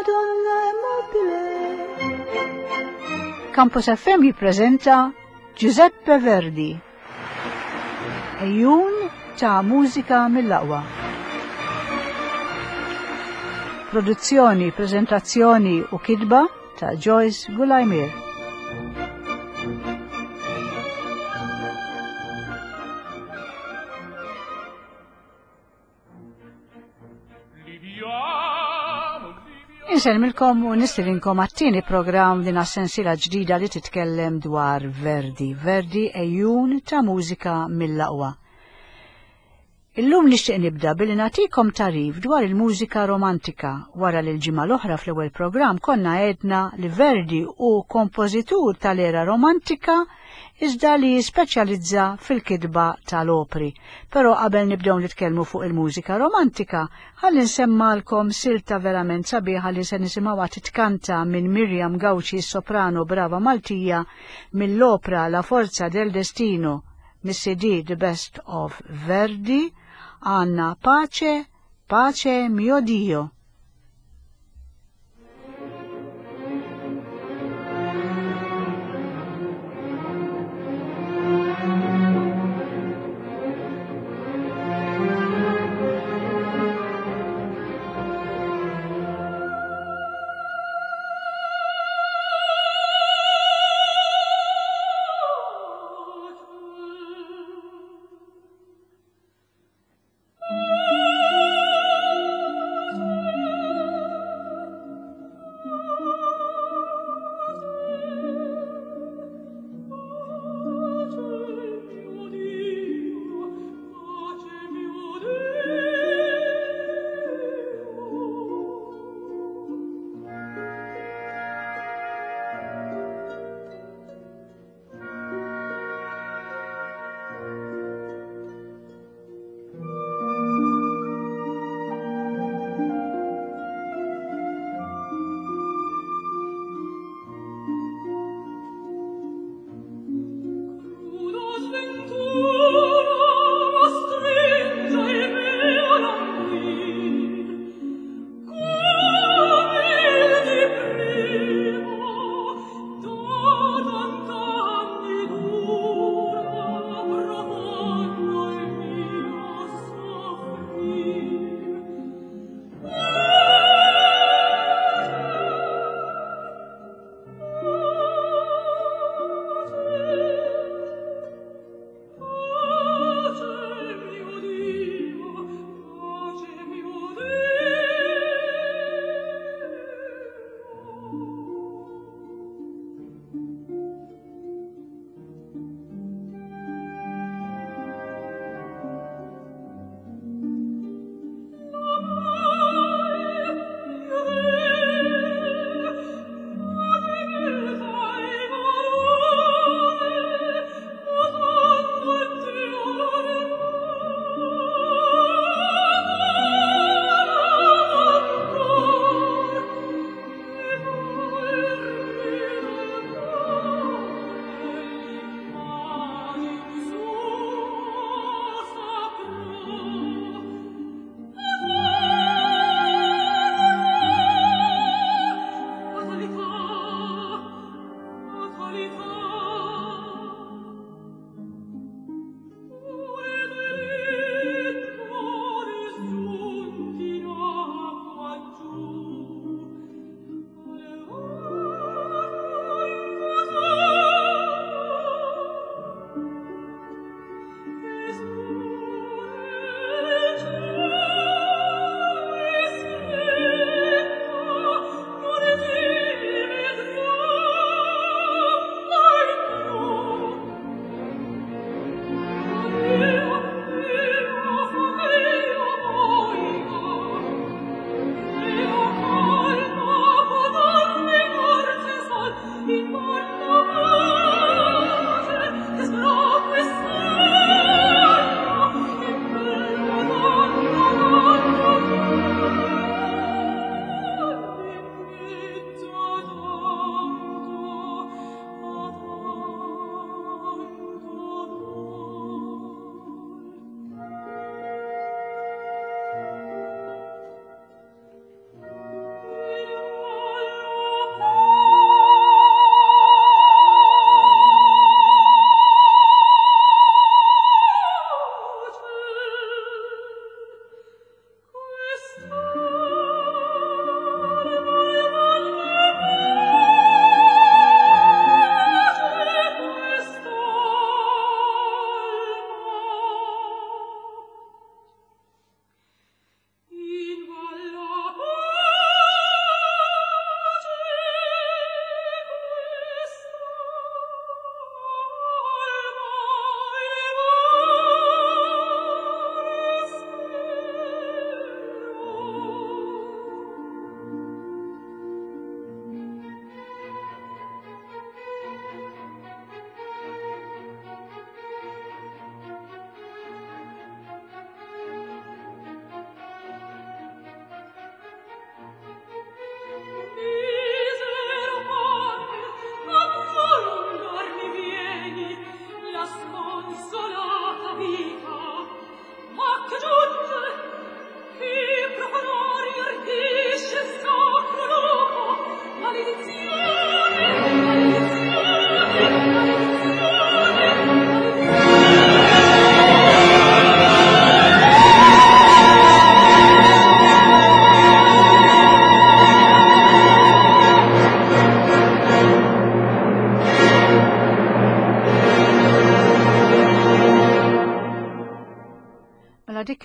Madonna è mobile. Campus FM jippreżenta Giuseppe Verdi. Ejjun ta' mużika mill-aqwa. Produzzjoni, prezentazzjoni u kidba ta' Joyce Gulajmir. Insellmilkom u nistilinkom għat-tieni programm din għas-sensiela ġdida li titkellem dwar Verdi. Verdi ejjun ta' mużika mill-aqwa. Illum nixtieq nibda billi nagħtikom tagħrif dwar il-mużika romantika wara li l-ġimgħa l-oħra fl-ewwel programm konna għedna li Verdi hu kompożitur tal-era romantika iżda li jispeċjalizza fil-kitba tal-opri. Però qabel nibdew nitkellmu fuq il-mużika romantika, ħalli nsemmalkom silta verament sabiħa li se nisimgħuha titkanta minn Miriam Gauci s-soprano brava Maltija mill-opra La Forza del Destino mis-CD The Best of Verdi għandna Pace, Pace mio Dio.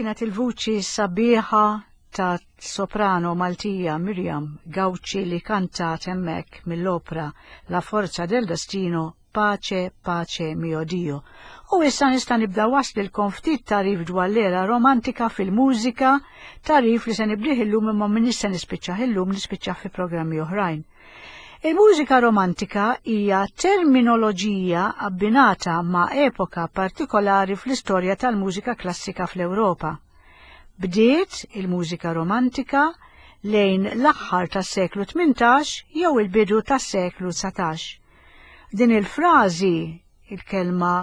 Kienet il-vuċi sabiħa ta' soprano Maltija Miriam Gauci li kantat hemmhekk mill-opra La Forza del Destino Pace, Pace mio Dio. U issa nista' nibda waslilkom ftit tagħrif dwar l-era romantika fil-mużika, tagħrif li se nibdih illum imma m'iniex se nispiċċah illum, nispiċċah fi programmi oħrajn. Il-mużika romantika hija terminoloġija abbinata ma' epoka partikolari fl-istorja tal-mużika klassika fl-Ewropa. Bdiet il-mużika romantika lejn l-aħħar tas-seklu 18 jew il-bidu tas-seklu 19. Din il-frażi il-kelma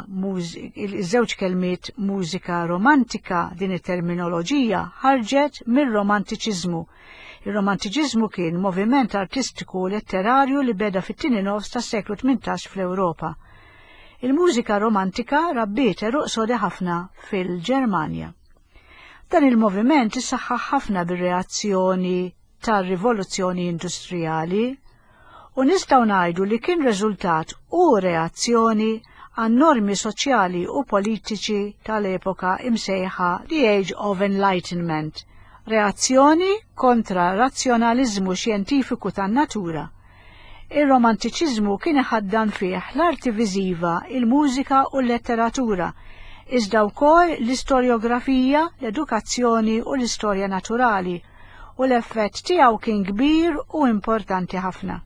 iż-żewġ kelmiet mużika romantika din it-terminoloġija ħarġet mir-romantiċiżmu. Ir-romantiċiżmu kien moviment artistiku u letterarju li beda fit-tieni nofs tas-seklu 18 fl-Ewropa. Il-mużika romantika rabbiet għeruq sodi ħafna fil-Ġermanja. Dan il-moviment issaħħaħ ħafna bir-reazzjoni tar-rivoluzzjoni industrijali u nistgħu ngħidu li kien riżultat u reazzjoni għan-normi soċjali u politiċi tal-epoka imsejħa The Age of Enlightenment, reazzjoni kontra razzjonaliżmu xjentifiku tan-natura. Ir-Romantiċiżmu kien iħaddan fih l-arti viżiva, il-mużika u l-letteratura, iżda wkoll l-istorjografija, l-edukazzjoni u l-istorja naturali, u l-effett tiegħu kien kbir u importanti ħafna.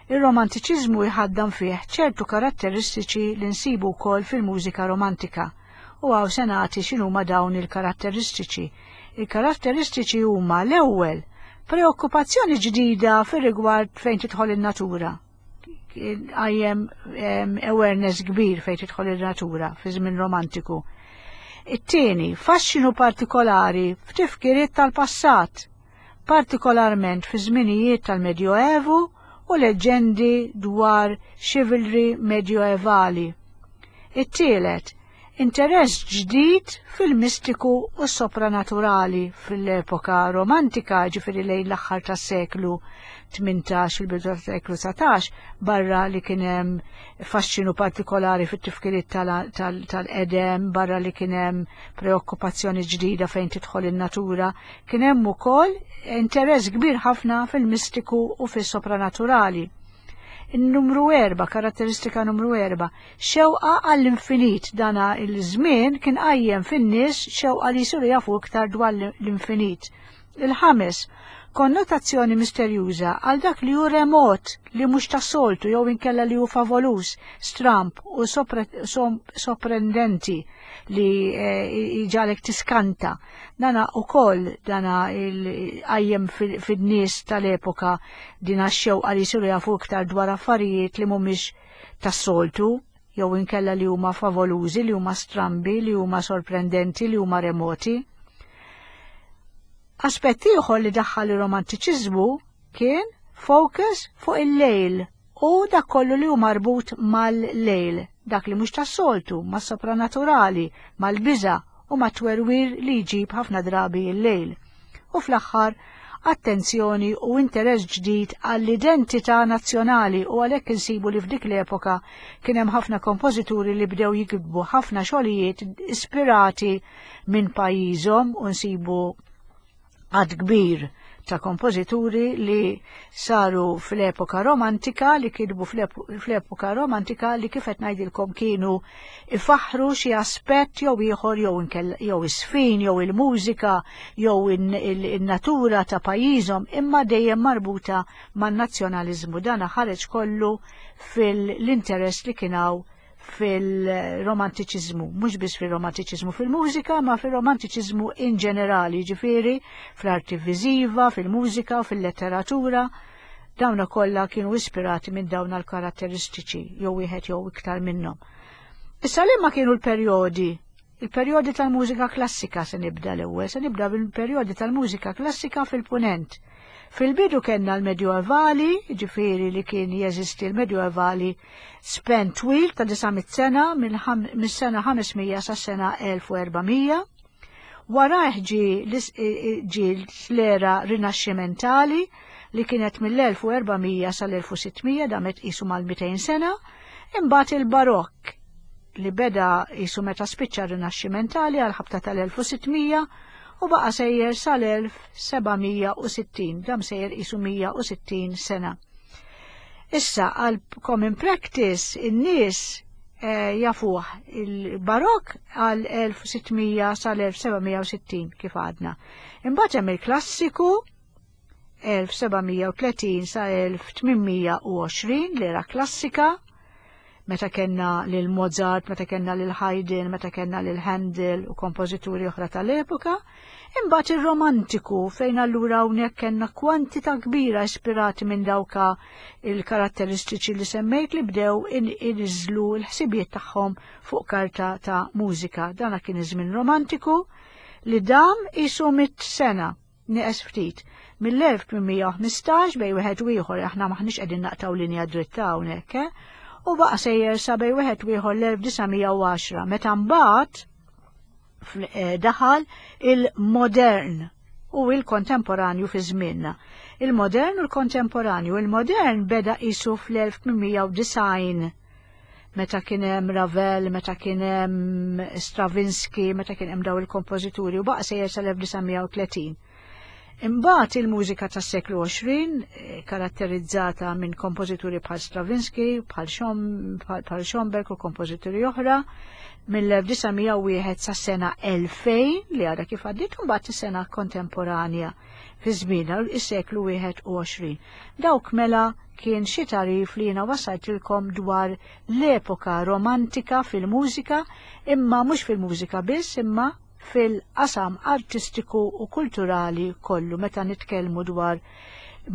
Ir-Romantiċiżmu jħaddan fih ċertu karatteristiċi li nsibu wkoll fil-mużika romantika u hawn se nagħti x'inhuma dawn il-karatteristiċi. Il-karatteristiċi huma l-ewwel preokkupazzjoni ġdida fir-rigward fejn tidħol in-natura. Għajjem awareness kbir fejn tidħol in-natura fi żmien romantiku. It-tieni, faxxinu partikolari f'tifkiriet tal-passat, partikolarment fi żminijiet tal-Medjoevu u leġġendi dwar chivalry medjoevali. It-tielet, interess ġdid fil-mistiku u s-sopranaturali fil-epoka romantika, ġifieri lejn l-aħħar tas-seklu 18 il-bidu tas-seklu 19, barra li kien hemm faxxinu partikolari fit-tifkiriet tal-qedem, barra li kien hemm preokkupazzjoni ġdida fejn tidħol in-natura, kien hemm ukoll interess kbir ħafna fil-mistiku u fis-sopranaturali. In-numru 4, karatteristika numru 4, xewqa għall-infinit dana il-żmien kien qajjem fin-nies xewqa li jsiru jafu iktar dwar l-infinit. Il-ħames, konnotazzjoni misterjuża għal dak li hu remot, li mhux tas-soltu jew inkella li hu favoluż, stramb u soprendenti li jġagħlek tiskanta. Dana ukoll dana qajjem fin-nies tal-epoka din għax-xewqa li jsiru jafu iktar dwar affarijiet li mhumiex tas-soltu jew inkella li huma favolużi, li huma strambi, li huma sorprendenti, li huma remoti. Aspett ieħor li daħħal ir-romantiċiżmu kien focus fuq il-lejl u dak kollu li hu marbut mal-lejl, dak li mhux tas-soltu, mas-sopranaturali, mal-biża' u mat-twerwir li jġib ħafna drabi l-lejl. U fl-aħħar, attenzjoni u interess ġdid għall-identità nazzjonali u għalhekk insibu li f'dik l-epoka kien hemm ħafna kompożituri li bdew jiktbu ħafna xogħlijiet ispirati minn pajjiżhom u nsibu għadd kbir ta' kompożituri li saru fl-epoka romantika, li kitbu fl-epoka romantika li kif qed ngħidilkom kienu ifaħħru xi aspett jew ieħor jew jew is-sfin jew il-mużika jew in-natura ta' pajjiżhom imma dejjem marbuta man-nazzjonaliżmu. Dan ħareġ kollu fil-interess li kien hawn fil-romantiċiżmu, mhux biss fil-romantiċiżmu fil-mużika, ma fil-romantiċiżmu in ġenerali, ġifieri fl-arti viżiva, fil-mużika, fil-letteratura. Dawna kollha kienu ispirati minn dawn l-karatteristiċi jew wieħed jew iktar minnhom. Issa liema kienu l-perjodi? Il-perjodi tal-mużika klassika se nibda l-ewwel, se nibda bil-perjodi tal-mużika klassika fil-Punent. Fil-bidu kellna l-Medjuevali, ġifieri li kien jeżisti l-Medjuevali spen twil ta' 900 sena mis-sena 500 sa sena 1400. Warajh ġie l-era rinaxximentali li kienet mill-1400 sal-1600 damet qisu mal-200 sena, imbagħad il-Barokk. li beda jisu meta spiċċa rinaxximentali għal ħabta tal-1600 u baqa sejjer sal-1760, dam sejjer jisu 160 sena. Issa għal common practice in-nies eh, jafuh il-barok għal 1600 sal-1760 kif għadna. Imbagħad hemm il-klassiku 1730 sa 1820 l-era klassika, meta kellna lil Mozart, meta kellna lil Haydn, meta kellna lil Handel u kompożituri oħra tal-epoka, imbagħad ir-romantiku fejn allura hawnhekk kellna kwantità kbira ispirati minn dawka il-karatteristiċi li semmejt li bdew iniżlu l-ħsibijiet tagħhom fuq karta ta' mużika. Dana kien iż-żmien romantiku li dam isu mit sena Nieqes ftit. Mill-1815 bej wieħed u ieħor aħna maħniex qegħdin naqtaw linja dritta hawnhekk, eh? U baqa' sejjer sa bej wieħed u ieħor l-1910 meta mbagħad eh, daħal il-modern u il-kontemporanju fi żmienna. Il-modern u l-kontemporanju. Il-modern beda qisu fl-1890 meta kien hemm Ravel, meta kien hemm Stravinsky, meta kien hemm daw il-kompożituri u baqa' sejjer sal-1930. Imbagħad il-mużika tas-seklu 20 eh, karatterizzata minn kompożituri bħal Stravinsky, bħal Schomberg u kompożituri oħra mill-1901 sas-sena 2000 li għadha kif għaddiet u mbagħad is-sena kontemporanja fi żmienha is-seklu 21. Dawk mela kien xi tagħrif li jiena wasaltilkom dwar l-epoka romantika fil-mużika, imma mhux fil-mużika biss, imma fil-qasam artistiku u kulturali kollu meta nitkellmu dwar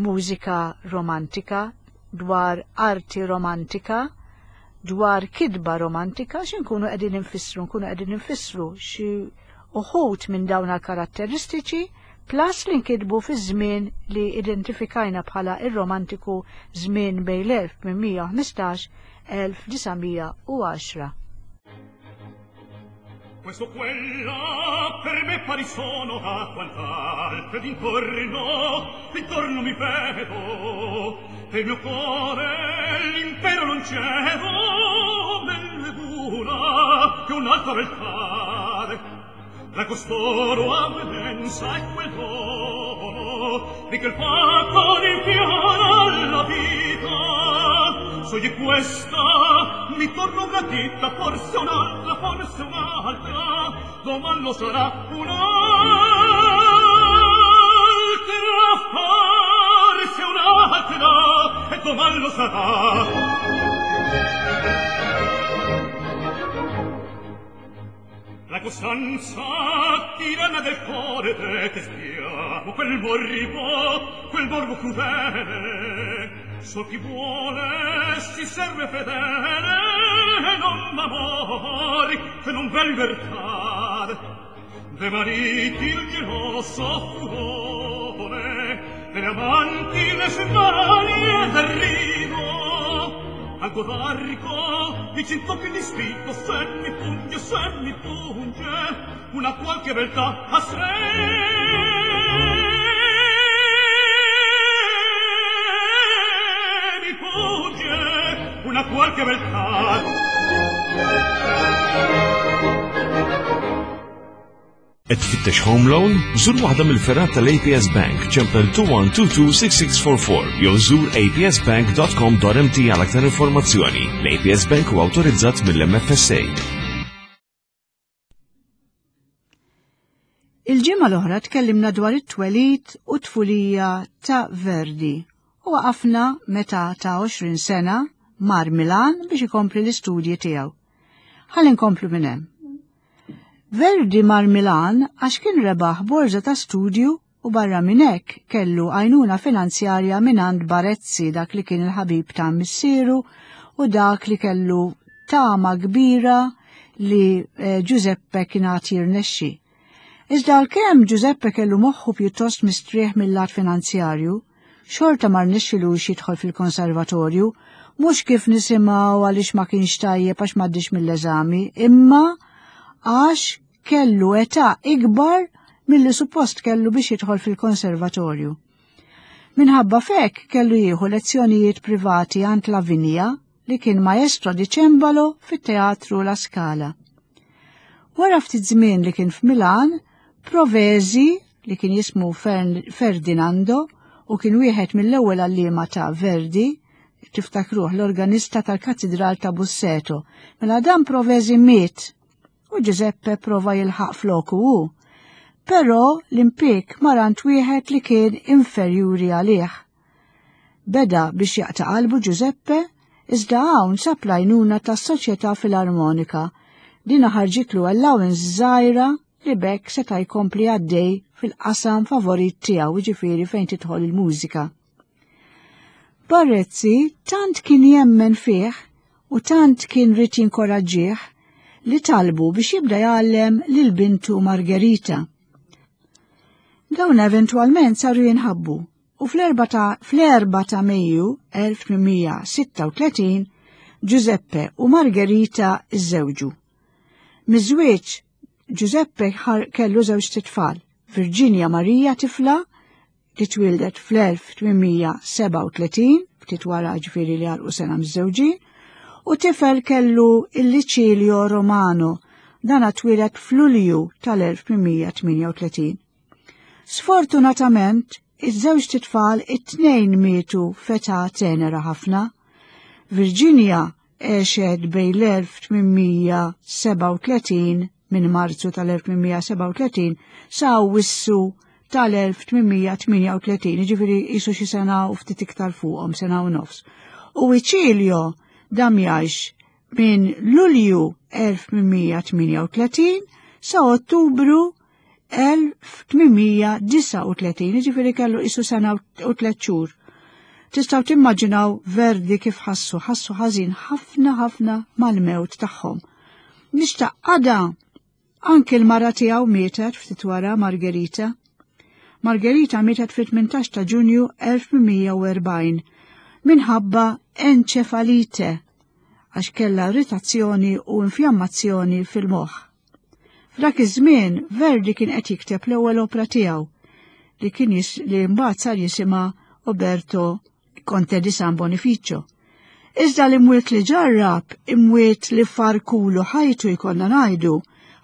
mużika romantika, dwar arti romantika, dwar kitba romantika, x'inkunu qegħdin infissru, nkunu qegħdin infissru xi uħud minn dawn karatteristiċi plus li nkitbu fi żmien li identifikajna bħala ir-romantiku żmien bejn l-1815-1910. Questo quella per me pari sono a quant'altro d'intorno, d'intorno mi vedo, e il mio cuore l'impero non cedo, men una che un'altra beltade. La costoro avvenenza e quel dono di quel fatto rinfiora alla vita. So di questa mi torno gradita, forse un'altra, forse un'altra, doman lo sarà un'altra, forse un'altra, e doman lo sarà. La costanza tiranna del cuore detestiamo quel morbo, quel morbo crudele. So chi vuole si serve fedele, non m'amori che non v'è libertà. De mariti il geloso furore, delle amanti le smanie d'arrivo. Al d'arco mi c'intocchi di spinto, se mi punge, se mi punge, una qualche beltà a se mi punge, una qualche beltà. Qed tfittex home loan? Żur waħda mill-fergħat tal-APS Bank ċempel 21226644 jew żur apsbank.com.mt għal aktar informazzjoni. L-APS Bank huwa awtorizzat mill-MFSA. Il-ġimgħa l-oħra tkellimna dwar it-twelid u tfulija ta' Verdi u waqafna meta ta' 20 sena mar Milan biex ikompli l-istudji tiegħu. Ħalli nkomplu minn hemm. Verdi mar Milan għax kien rebaħ borża ta' studju u barra minn hekk kellu għajnuna finanzjarja mingħand Barezzi dak li kien il-ħabib ta' missieru u dak li kellu tama kbira li eh, Giuseppe kien għad jirnexxi. Iżda għalkemm Giuseppe kellu moħħu pjuttost mistrieħ mill-lat finanzjarju, xorta ma rnexxilux jidħol fil-konservatorju, mhux kif nisimgħu għaliex ma kienx tajjeb għax m'għaddiex mill-eżami, imma għax kellu età ikbar milli suppost kellu biex jidħol fil-konservatorju. Minħabba fek kellu jieħu lezzjonijiet privati għand Lavinia. li kien maestro di cembalo fit-Teatru La Scala. Wara ftit żmien li kien f'Milan, Provesi, li kien jismu Ferdinando u kien wieħed mill-ewwel għalliema ta' Verdi, tiftakruh l-organista tal-Katidral ta' Busseto, mela dan Provesi miet u Giuseppe prova jilħaq floku hu. Però l-impik marant wieħed li kien inferjuri għalih. Beda biex jaqta' qalbu Giuseppe, iżda hawn sab l-għajnuna tas-Soċjetà Filarmonika. Dina ħarġitlu allowance żgħira li b'hekk seta' jkompli għaddej fil-qasam favorit tiegħu, jiġifieri fejn tidħol il-mużika. Barezzi tant kien jemmen fih u tant kien ried jinkoraġġih li talbu biex jibda jgħallem lil bintu Margherita. Dawn eventwalment saru jinħabbu u fl-4 ta' fl-4 ta' Mejju 1836 Giuseppe u Margherita żżewġu. Miż-żwieġ Giuseppe kellu żewġ titfal, Virginia Maria tifla li twieldet fl-1837, ftit wara ġifieri li għalqu sena miżżewġin, u tifel kellu il-Licilio Romano, dan twieled f'Lulju tal-1838. Sfortunatament, iż-żewġ titfal it-tnejn mietu f'età tenera ħafna. Virginia għexet bejn l-1837 minn Marzu tal-1837 sa Awwissu tal-1838, jiġifieri qisu xi sena u ftit iktar fuqhom, sena u nofs. U Icilio dam jgħix minn Lulju 1838 sa Ottubru 1839, jiġifieri kellu qisu sena u tliet xhur. Tistgħu timmaġinaw Verdi kif ħassu, ħassu ħażin ħafna ħafna mal-mewt tagħhom. Nixtaq għada anki l-mara tiegħu mietet ftit wara Margherita. Margherita mietet fit-18 ta' Ġunju 1840 minħabba enċefalite għax kellha irritazzjoni u infjammazzjoni fil-moħħ. F'dak iż-żmien Verdi kien qed jikteb l-ewwel opra tiegħu li kien li mbagħad sar jisimha Oberto Conte di San Bonificio. Iżda l-imwiet li ġarrab, imwiet li farkulu ħajtu jkollna ngħidu,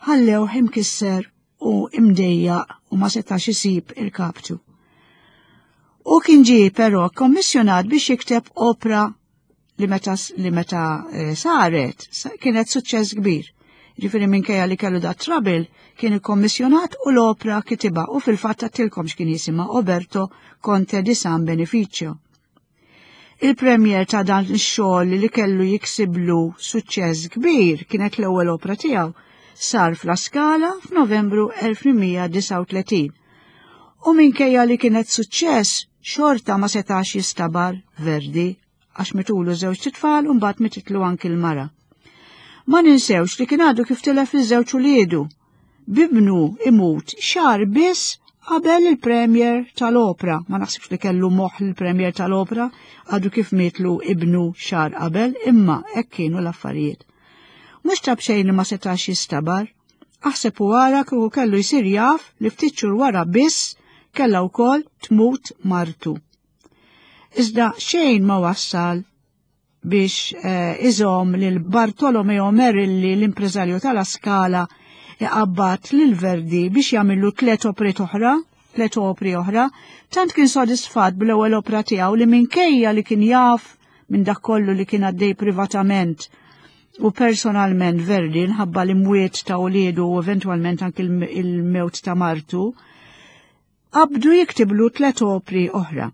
ħallewh imkisser u imdejjaq u ma setax isib il-kaptu. U kien ġie però kommissjonat biex jikteb opra li meta li meta eh, saret kienet suċċess kbir. Ġifieri minkejja li kellu da trouble kien ikkommissjonat u l-opra kitiba u fil-fatt għattilkom x'kien jisimha Oberto Conte di San Beneficio. Il-premier ta' dan ix-xogħol li kellu jiksiblu suċċess kbir kienet l-ewwel opra tiegħu sar f'La Scala f'Novembru 1839. U minkejja li kienet suċċess, xorta ma setax jistabar Verdi għax mitulu żewġ tfal u mbagħad mititlu anki l-mara. Ma ninsewx li kien għadu kif tilef iż-żewġ uliedu. Bibnu imut xar biss qabel il-premier tal-opra. Ma naħsibx li kellu moħħ il-premier tal-opra għadu kif mietlu ibnu xar qabel, imma hekk kienu l-affarijiet. Mhux ta' b'xejn li ma setax jistabar. Aħseb u ara kieku kellu jsir jaf li ftit xhur wara biss kellha wkoll tmut martu. Iżda xejn ma wassal biex eh, iżomm lil Bartolomeo Merilli l-impreżarju tal-Askala iqabbad lil Verdi biex jagħmillu tliet opri oħra, tliet opri oħra, tant kien sodisfatt bl-ewwel opra tiegħu li minkejja li kien jaf minn dak kollu li kien għaddej privatament u personalment Verdi nħabba l-imwiet ta' uliedu u eventwalment anki il-mewt ta' martu, qabdu jiktiblu tlet opri oħra.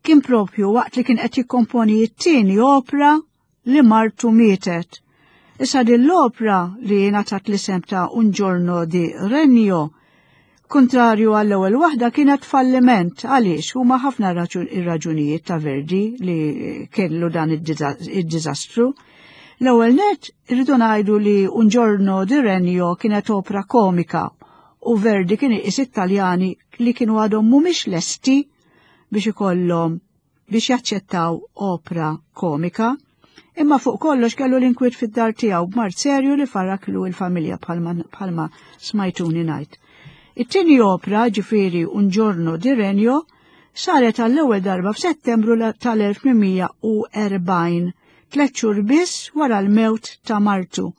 Kien propju waqt li kien qed jikkomponi t-tieni opra li martu mietet. Issa din l-opra li ngħatat l-isem ta' Un giorno di Regno, kontrarju għall-ewwel waħda kienet falliment għaliex huma ħafna ir-raġunijiet ta' Verdi li kellu dan id-diżastru. L-ewwel net irridu ngħidu li Un giorno di Regno kienet opra komika u Verdi kien iqis it-Taljani li kienu għadhom mhumiex lesti biex ikollhom biex jaċċettaw opra komika. Imma fuq kollox kellu l-inkwiet fid-dar tiegħu b'mard serju li farraklu l-familja bħalma smajtuni ngħid. It-tieni opra, ġifieri Un giorno di Regno, saret għall-ewwel darba f'Settembru tal-1840, tliet xhur biss wara l-mewt ta' martu.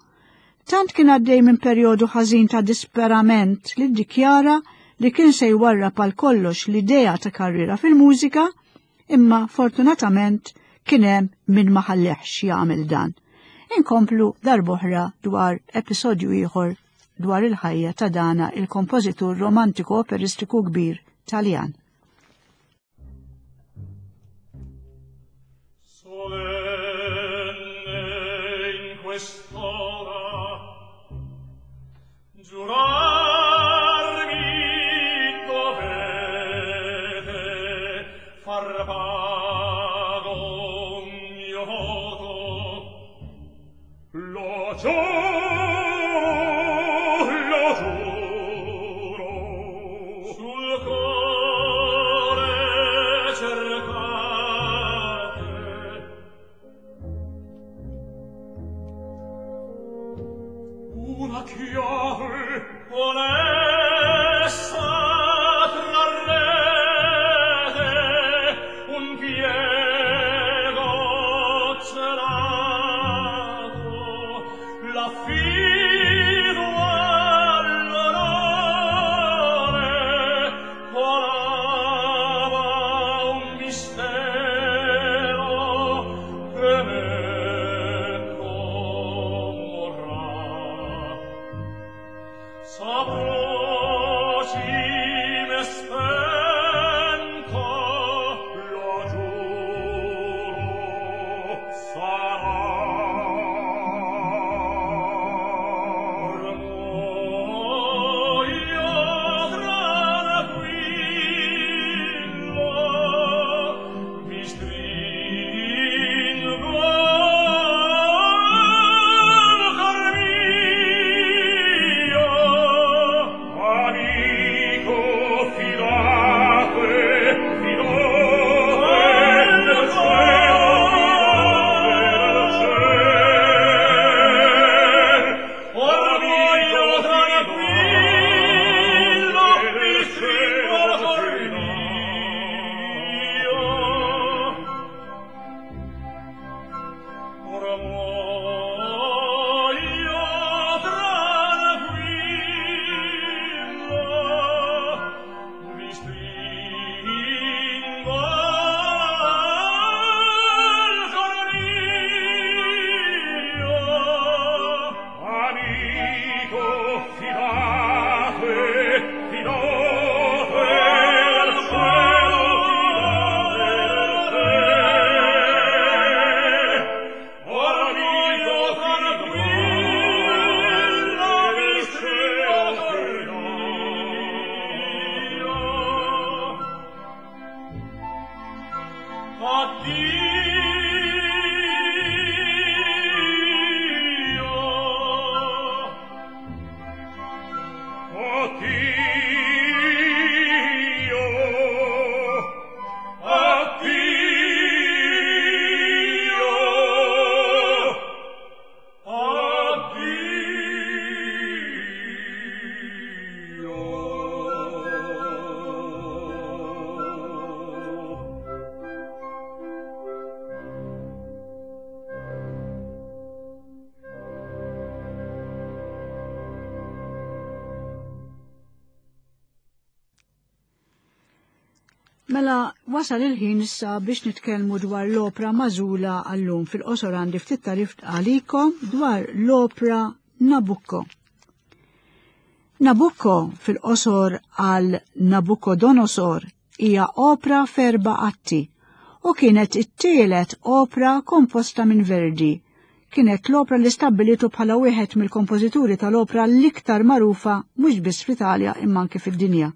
Tant kien għaddej minn perjodu ħażin ta' disperament li ddikjara li kien se jwarrab għal kollox l-idea ta' karriera fil-mużika, imma fortunatament kien hemm min ma ħallehx jagħmel dan. Inkomplu darb'oħra dwar episodju ieħor dwar il-ħajja ta' dana il-kompożitur romantiku operistiku kbir Taljan. Solenne in quest'ora giurarmi dovete far pago un mio voto. Lo giuro, lo giuro, sul cuore cercate. Una chiave con essa trarrete un piego celato, l'affido all'onore colava un mistero che me comorrà. Saprò cime spenta, lo giuro, sarà. Or muoio tranquillo, vi stringo al cor mio. Amico, fidate, fidate nel cielo, fidate nel cielo. Or muoio tranquillo, vi stringo al cor mio. Ora muoio tranquillo, vi stringo al cor mio. Amico, fidate, fidate al cielo, fidate nel cielo. Ora muoio tranquillo, vi stringo al cor mio. Addio. Addio. Addio. Addio. Mela, wasal il-ħin issa biex nitkellmu dwar l-opra magħżula għallum. Fil-qosor għandi ftit tarif għalikom dwar l-opra Nabucco. Nabucco fil-qosor għal Nabucodonosor hija opra f'erba' atti u kienet it-tielet opra komposta minn Verdi. Kienet l-opra li stabbilitu bħala wieħed mill-kompożituri tal-opra l-iktar magħrufa mhux biss fl-Italja imma anke fid-dinja.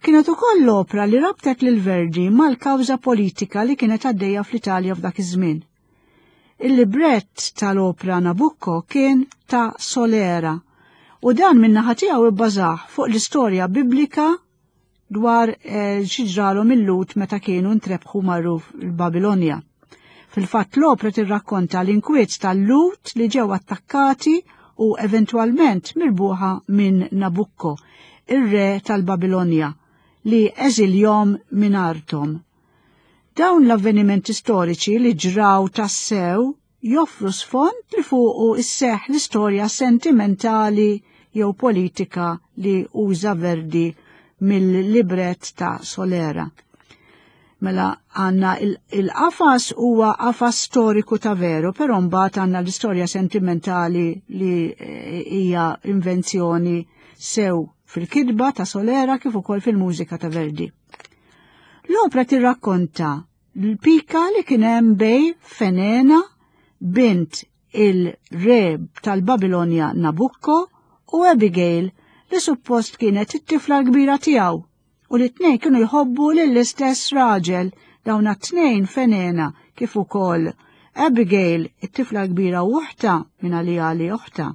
Kienet ukoll l-opra li rabtet lil Verdi mal-kawża politika li kienet għaddejja fl-Italja f'dak iż-żmien. Il-librett tal-opra Nabucco kien ta' Solera u dan min-naħa tiegħu ibbażah fuq l-istorja biblika dwar xi ġralhom il-Lhud meta kienu ntrebħu marru l-Babilonja. Fil-fatt l-opra tirrakkonta l-inkwiet tal-Lhud li ġew attakkati u eventwalment mirbuħa minn Nabucco, ir-re tal-Babilonja. li eżiljhom minn arthom. Dawn l-avvenimenti storiċi li ġraw tassew joffru sfond li fuqu isseħ l-istorja sentimentali jew politika li uża Verdi mill-libret ta' Solera. Mela għanna il-qafas huwa qafas storiku ta' veru, però mbagħad għandna l-istorja sentimentali li eh, hija invenzjoni sew fil-kidba ta' Solera kif ukoll fil-mużika ta' Verdi. L-opra tirrakkonta l-pika li kien hemm bej Fenena, bint il-re tal-Babilonja Nabucco u Abigail li suppost kienet it-tifla l-kbira tiegħu u li t-tnejn kienu jħobbu lill-istess raġel dawn t-tnejn Fenena kif ukoll Abigail it-tifla l-kbira u oħta minn għalija li oħta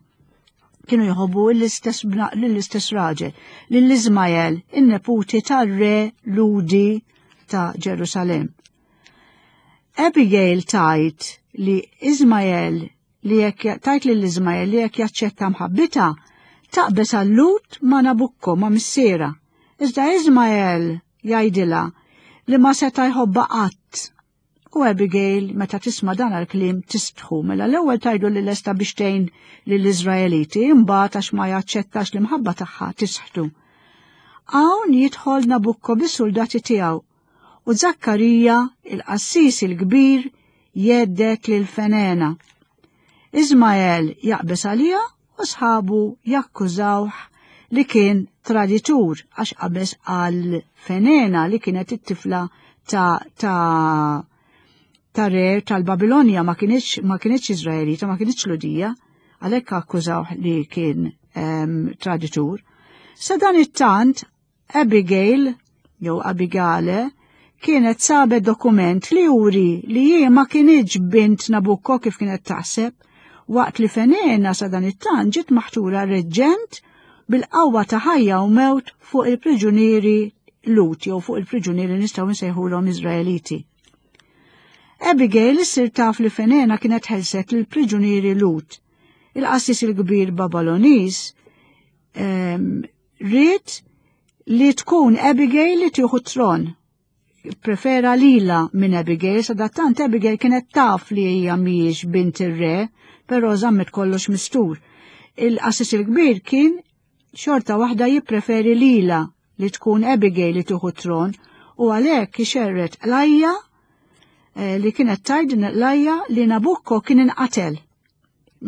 kienu jħobbu l-istess raġel, lil Iżmael, in-neputi tar-re Ludi ta' Ġerusalem. Abigail tajt li Iżmael li jekk tajt lil Iżmael li jekk jaċċetta mħabbita taqbeż għal-Lut ma' Nabukko ma' missiera. Iżda Iżmael jgħidilha li ma seta' jħobba qatt U Abigail, meta tisma' dan għal-kliem, tistħu. Mela l-ewwel tajdu li lesta biex tgħin lill-Iżraeliti, imbagħad għax ma jaċċettax l-imħabba tagħha tisħtu. Hawn jidħol Nabukko bis-soldati tiegħu u Zakkarija, il-qassis il-kbir, jeddet lil Fenena. Iżmael jaqbeż għaliha u sħabu jakkużawh li kien traditur għax qabeż għal Fenena li kienet it-tifla ta' ta' ta' re tal-Babilonja ma kienx ma kienx Iżraelita, ma kienx Ludija, għalhekk akkużawh li kien um, traditur. Sa dan it-tant Abigail, jew Abigale, kienet sabet dokument li juri li hi ma kinitx bint Nabucco kif kienet taħseb, waqt li Fenena sa dan it-tant ġiet maħtura reġġent bil-qawwa ta' ħajja u mewt fuq il-priġunieri Lut jew fuq il-priġunieri nistgħu nsejħulhom Iżraeliti. Abigail issir taf li Fenena kienet ħelset lill priġunieri Lut. Il-qassis il-kbir Babaloniż ehm, Ried li tkun Abigail li tieħu tron. Prefera lila minn Abigail, sadattant Abigail kienet taf li hija mhijiex bint ir-re, però żammet kollox mistur. Il-qassis il-kbir kien xorta waħda jippreferi lila li tkun Abigail li tieħu tron u għalhekk ixerret qlajja eh, li kienet tajd qlajja li Nabukko kien inqatel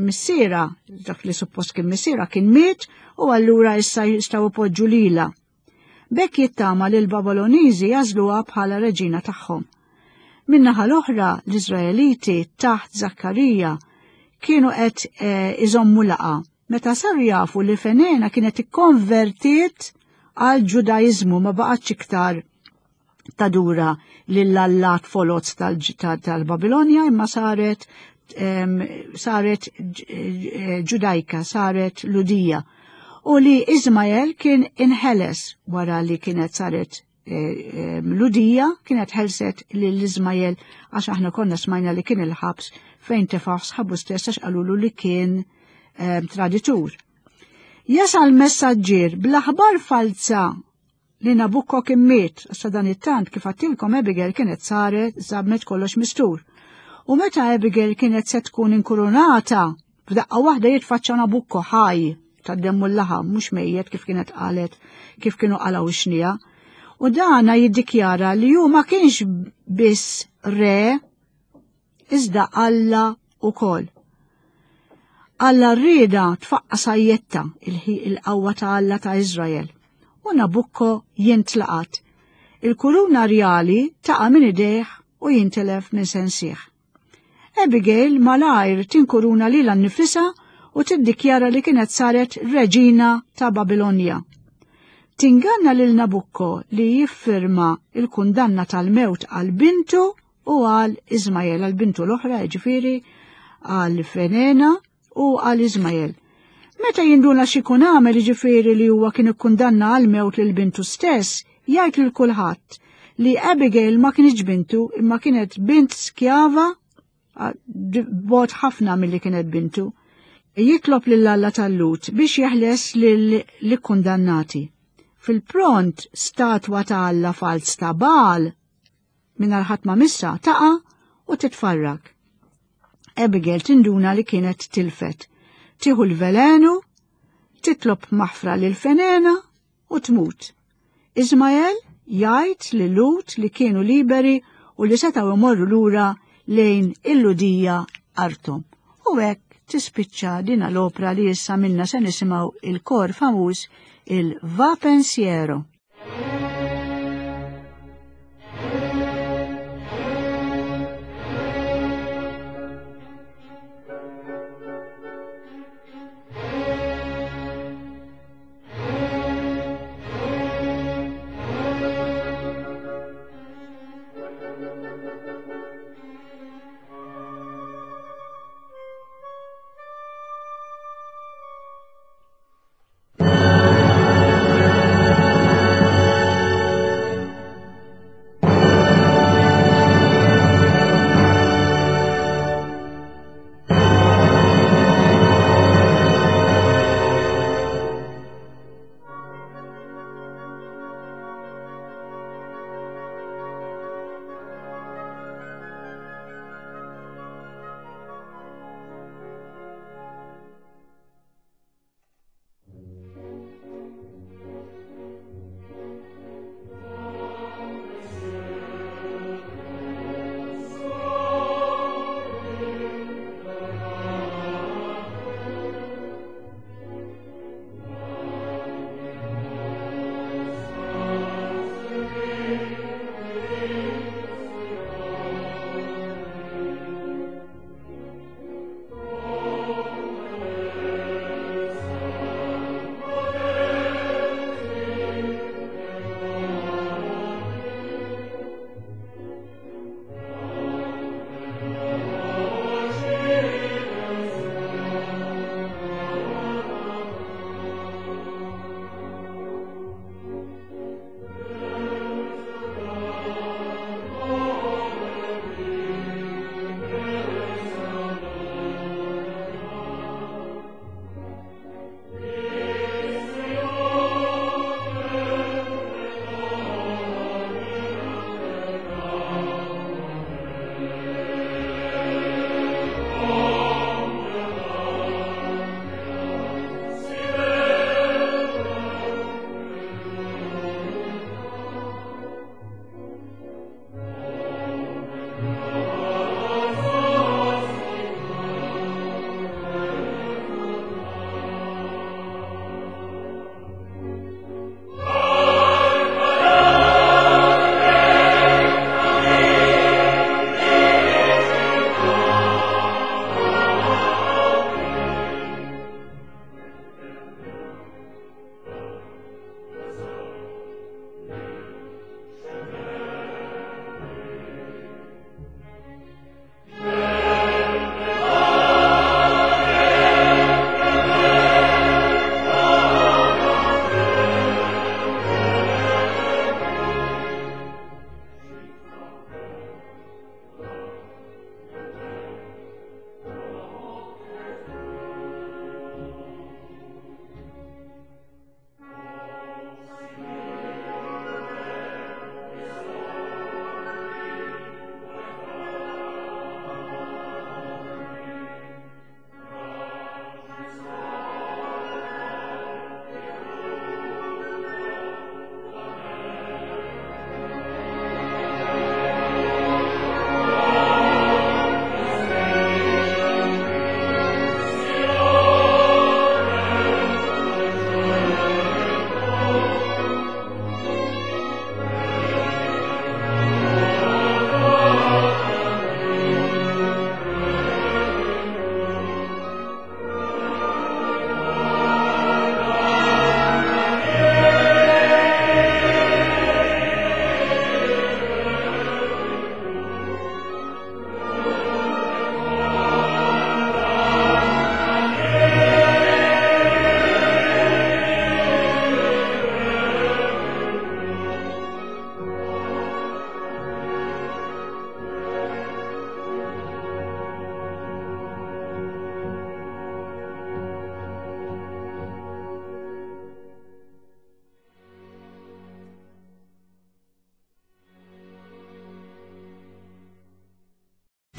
missiera, dak li suppost kien missiera kien miet u allura issa jistgħu ipoġġu lila. Bekk jittama li l-Babiloniżi jażluha bħala reġina tagħhom. Min-naħa l-oħra l-Iżraeliti taħt Zakkarija kienu qed eh, iżommu laqa meta saru jafu li Fenena kienet ikkonvertiet għal Ġudaiżmu ma baqgħetx iktar tadura lill-allat foloz tal-Babilonja imma saret saret ġudajka, saret ludija. U li Izmael kien inħeles wara li kienet saret eh, ludija, kienet ħelset lil Izmael għax aħna konna smajna li kien il-ħabs fejn tefaħ sħabu stess għax qalulu li kien traditur. Jasal messaġġier bl-aħbar falza li Nabucco kien miet, sa dan it-tant kif għattilkom Abigail kienet saret żammet kollox mistur. U meta Abigail kienet se tkun inkurunata, f'daqqa waħda jitfaċċa Nabucco ħaj tad-demmu l-laħam, mhux mejjet kif kienet qalet, kif kienu qalgħu xnija. U dana jiddikjara li hu ma kienx biss re iżda Alla ukoll. Alla rrieda tfaqqa sajjetta il-qawwa ta' Alla ta' Iżrael u Nabukko jintlaqat. Il-kuruna rjali taqa' minn idejh u jintilef minn sensih. Abigail malajr tinkuruna lilha nnifisha u tiddikjara li kienet saret reġina ta' Babilonja. Tinganna lil Nabukko li jiffirma il-kundanna tal-mewt għal bintu u għal Iżmael għal bintu l-oħra, ġifieri għal Fenena u għal Iżmael. Meta jinduna x'ikun għamel ġifieri li huwa kien ikkundanna għal mewt lil bintu stess, jgħid lil kulħadd li Abigail ma kienx bintu imma kienet bint skjava bot ħafna milli kienet bintu. Jitlob lil Alla tal-Lut biex jeħles lill-kundannati. Fil-pront statwa ta' Alla falz ta' Baal mingħajr ħadd ma missa taqa' u titfarrak. Abigail tinduna li kienet tilfet. Tieħu l-velenu, titlob maħfra lil Fenena u tmut. Ismael jgħid li Lut li kienu liberi u li setgħu imorru lura lejn il-Ludija arthom. U hekk tispiċċa dina l-opra li issa minna se nisimgħu il-kor famuż il-Va Pensiero.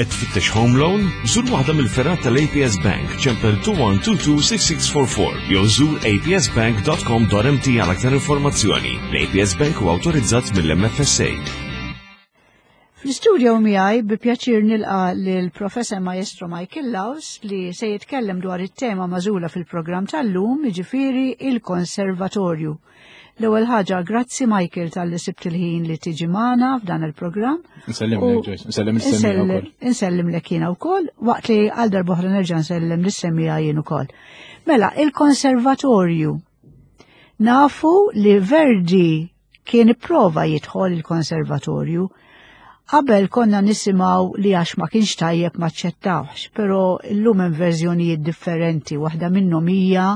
Qed tfittex home loan? Żur waħda mill-fergħat tal-APS Bank, ċempel 21226644 jew żur apsbank.com.mt għal aktar informazzjoni. L-APS Bank huwa awtorizzat mill-MFSA. Fl-istudio miegħi bi pjaċir nilqa lil Professor Maestro Michael Laus li se jitkellem dwar it-tema magħżula fil-programm tal-lum, jiġifieri il-konservatorju. L-ewwel ħaġa, grazzi Michael tal-li sibt il-ħin li tiġi magħna f'dan il-programm. Insellem lek Joyce, insellem is-semmiegħa wkoll. Insellem lek jiena wkoll, waqt li għal darb'oħra nerġa' nsellem lis-semmiegħa jien ukoll. Mela, il-konservatorju. Nafu li Verdi kien ipprova jidħol il-konservatorju. Qabel konna nisimgħu li għax ma kienx tajjeb ma ċċettawx, però llum hemm verżjonijiet differenti, waħda minnhom hija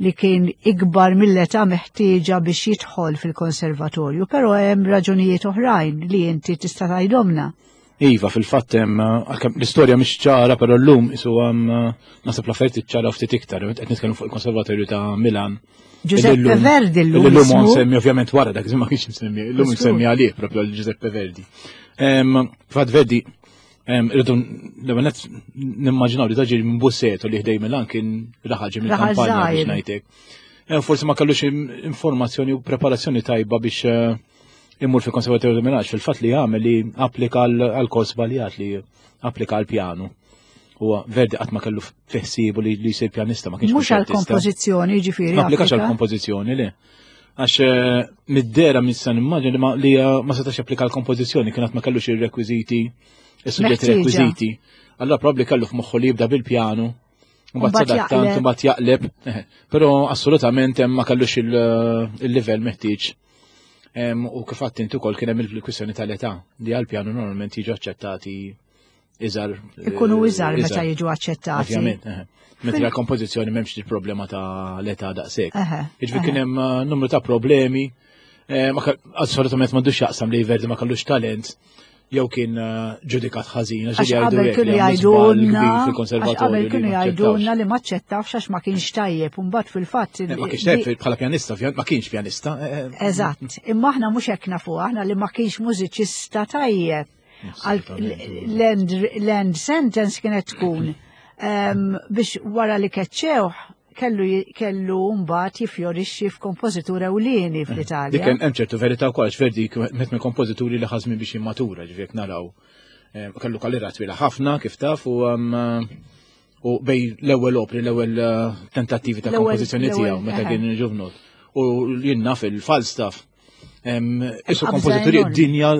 li kien ikbar mill-età meħtieġa biex jidħol fil-konservatorju, però hemm raġunijiet oħrajn li inti tista' tgħidhomna. Iva, fil-fatt hemm għalkemm l-istorja mhix ċara, però llum isu hemm naħseb l-affarijiet iċċara ftit iktar, qed nitkellmu fuq il-Konservatorju ta' Milan. Giuseppe Verdi llum. Illum nsemmi ovvjament wara dak ma kienx nsemmi, illum nsemmi għalih propju għal Giuseppe Verdi. Fatt Verdi irridu l-ewwel nett nimmaġinaw li daġi minn Busseto li ħdej Milan kien raħal ġie mill-kampanja biex ngħidlek. Forsi ma kellux informazzjoni u preparazzjoni tajba biex eh, imur fil-Konservatorju ta' Milan fil-fatt li għamel li applika għal kors żbaljat li applika għal pjanu. Huwa Verdi qatt ma kellu fiħsibu li jsir pjanista ma kienx. Mhux għal kompożizzjoni ġifieri. Ma applikax għal kompożizzjoni le. Għax eh, mid-dera minn nimmaġin li ma li eh, ma setax applika għal kompożizzjoni kien qatt ma kellux ir-rekwiżiti, is-suġġetti rekwiżiti. Allora probabbli kellu f'moħħu li jibda bil-pjanu Mbagħad sadattant mbagħad jaqleb, però assolutament hemm ma kellux il-livell meħtieġ. U kif għadt inti ukoll kien hemm il-kwistjoni tal-età li għall-pjanu normalment jiġu aċċettati iżgħar. Ikunu eh, iżgħar meta jiġu aċċettati. Ovvjament, Mentre la kompożizzjoni m'hemmx il-problema ta' l-età daqshekk. Jiġifieri kien hemm eh, numru ta' problemi. Eh, assolutament m'għandux jaqsam li Verdi ma kellux talent jew kien eh, ġudikat ħażin. Għax qabel kienu jgħidulna qabel kienu jgħidulna li ma ċċettafx għax ma kienx tajjeb, u mbagħad fil-fatt. Eh, ma kienx tajjeb bħala pjanista, ma kienx pjanista. Eh, Eżatt, imma aħna mhux hekk nafu, aħna li ma kienx mużiċista tajjeb. L-end sentence kienet tkun ehm, biex wara li keċċewh kellu kellu mbagħad jiffjorixxi f'kompożitur ewlieni eh, fl-Italja. Dik hemm ċertu verità wkoll għax Verdi met minn kompożituri li ħażmin biex jimmatura, ġifieri naraw. Eh, kellu karriera twila ħafna kif taf u u bej l-ewwel opri, l-ewwel eh, tentattivi ta' kompożizzjoni tiegħu meta kien ġuvnot. U jien naf il-Falstaff Isu kompożituri dinja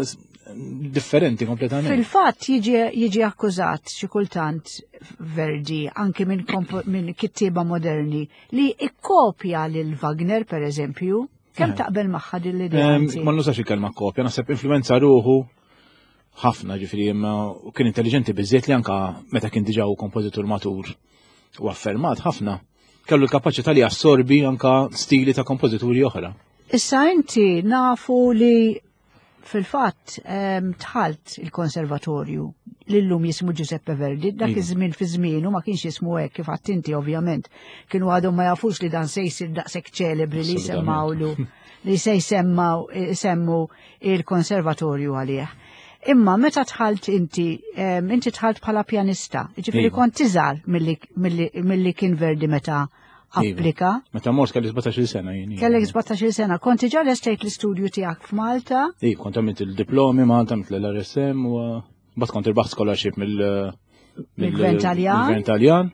differenti kompletament. Fil-fatt jiġi akkużat xi kultant Verdi anki minn min kittieba moderni li ikkopja lil Wagner per eżempju. Kemm eh. taqbel magħha din l-idea? Ma nużax il-kelma kopja, naħseb influenza ruħu ħafna ġifieri imma kien intelligenti biżżejjed li anka meta kien diġà hu kompożitur matur u affermat ħafna kellu l-kapaċità li jassorbi anka stili ta' kompożituri oħra. Issa inti nafu li fil-fatt ehm, tħalt il-konservatorju li llum jismu Giuseppe Verdi, dak iva. iż-żmien fi żmienu ma kienx jismu hekk kif għadt inti ovvjament. Kienu għadhom ma jafux li dan se jsir daqshekk ċelebri li jsemmawlu li se jsemmaw isemmu il-konservatorju għalih. Imma meta tħalt inti, ehm, inti tħalt bħala pjanista, ġifieri iva. kont tiżgħar milli kien Verdi meta iva. applika. Meta mort kelli 17 sena jien. Kellek 17 sena, kont diġà lestejt l-istudju tiegħek f'Malta? Iva, kont għamilt il-diplomi Malta, għamilt l-RSM u Bat kont irbaħt scholarship mill mill-Gvern Taljan. Gvern Taljan.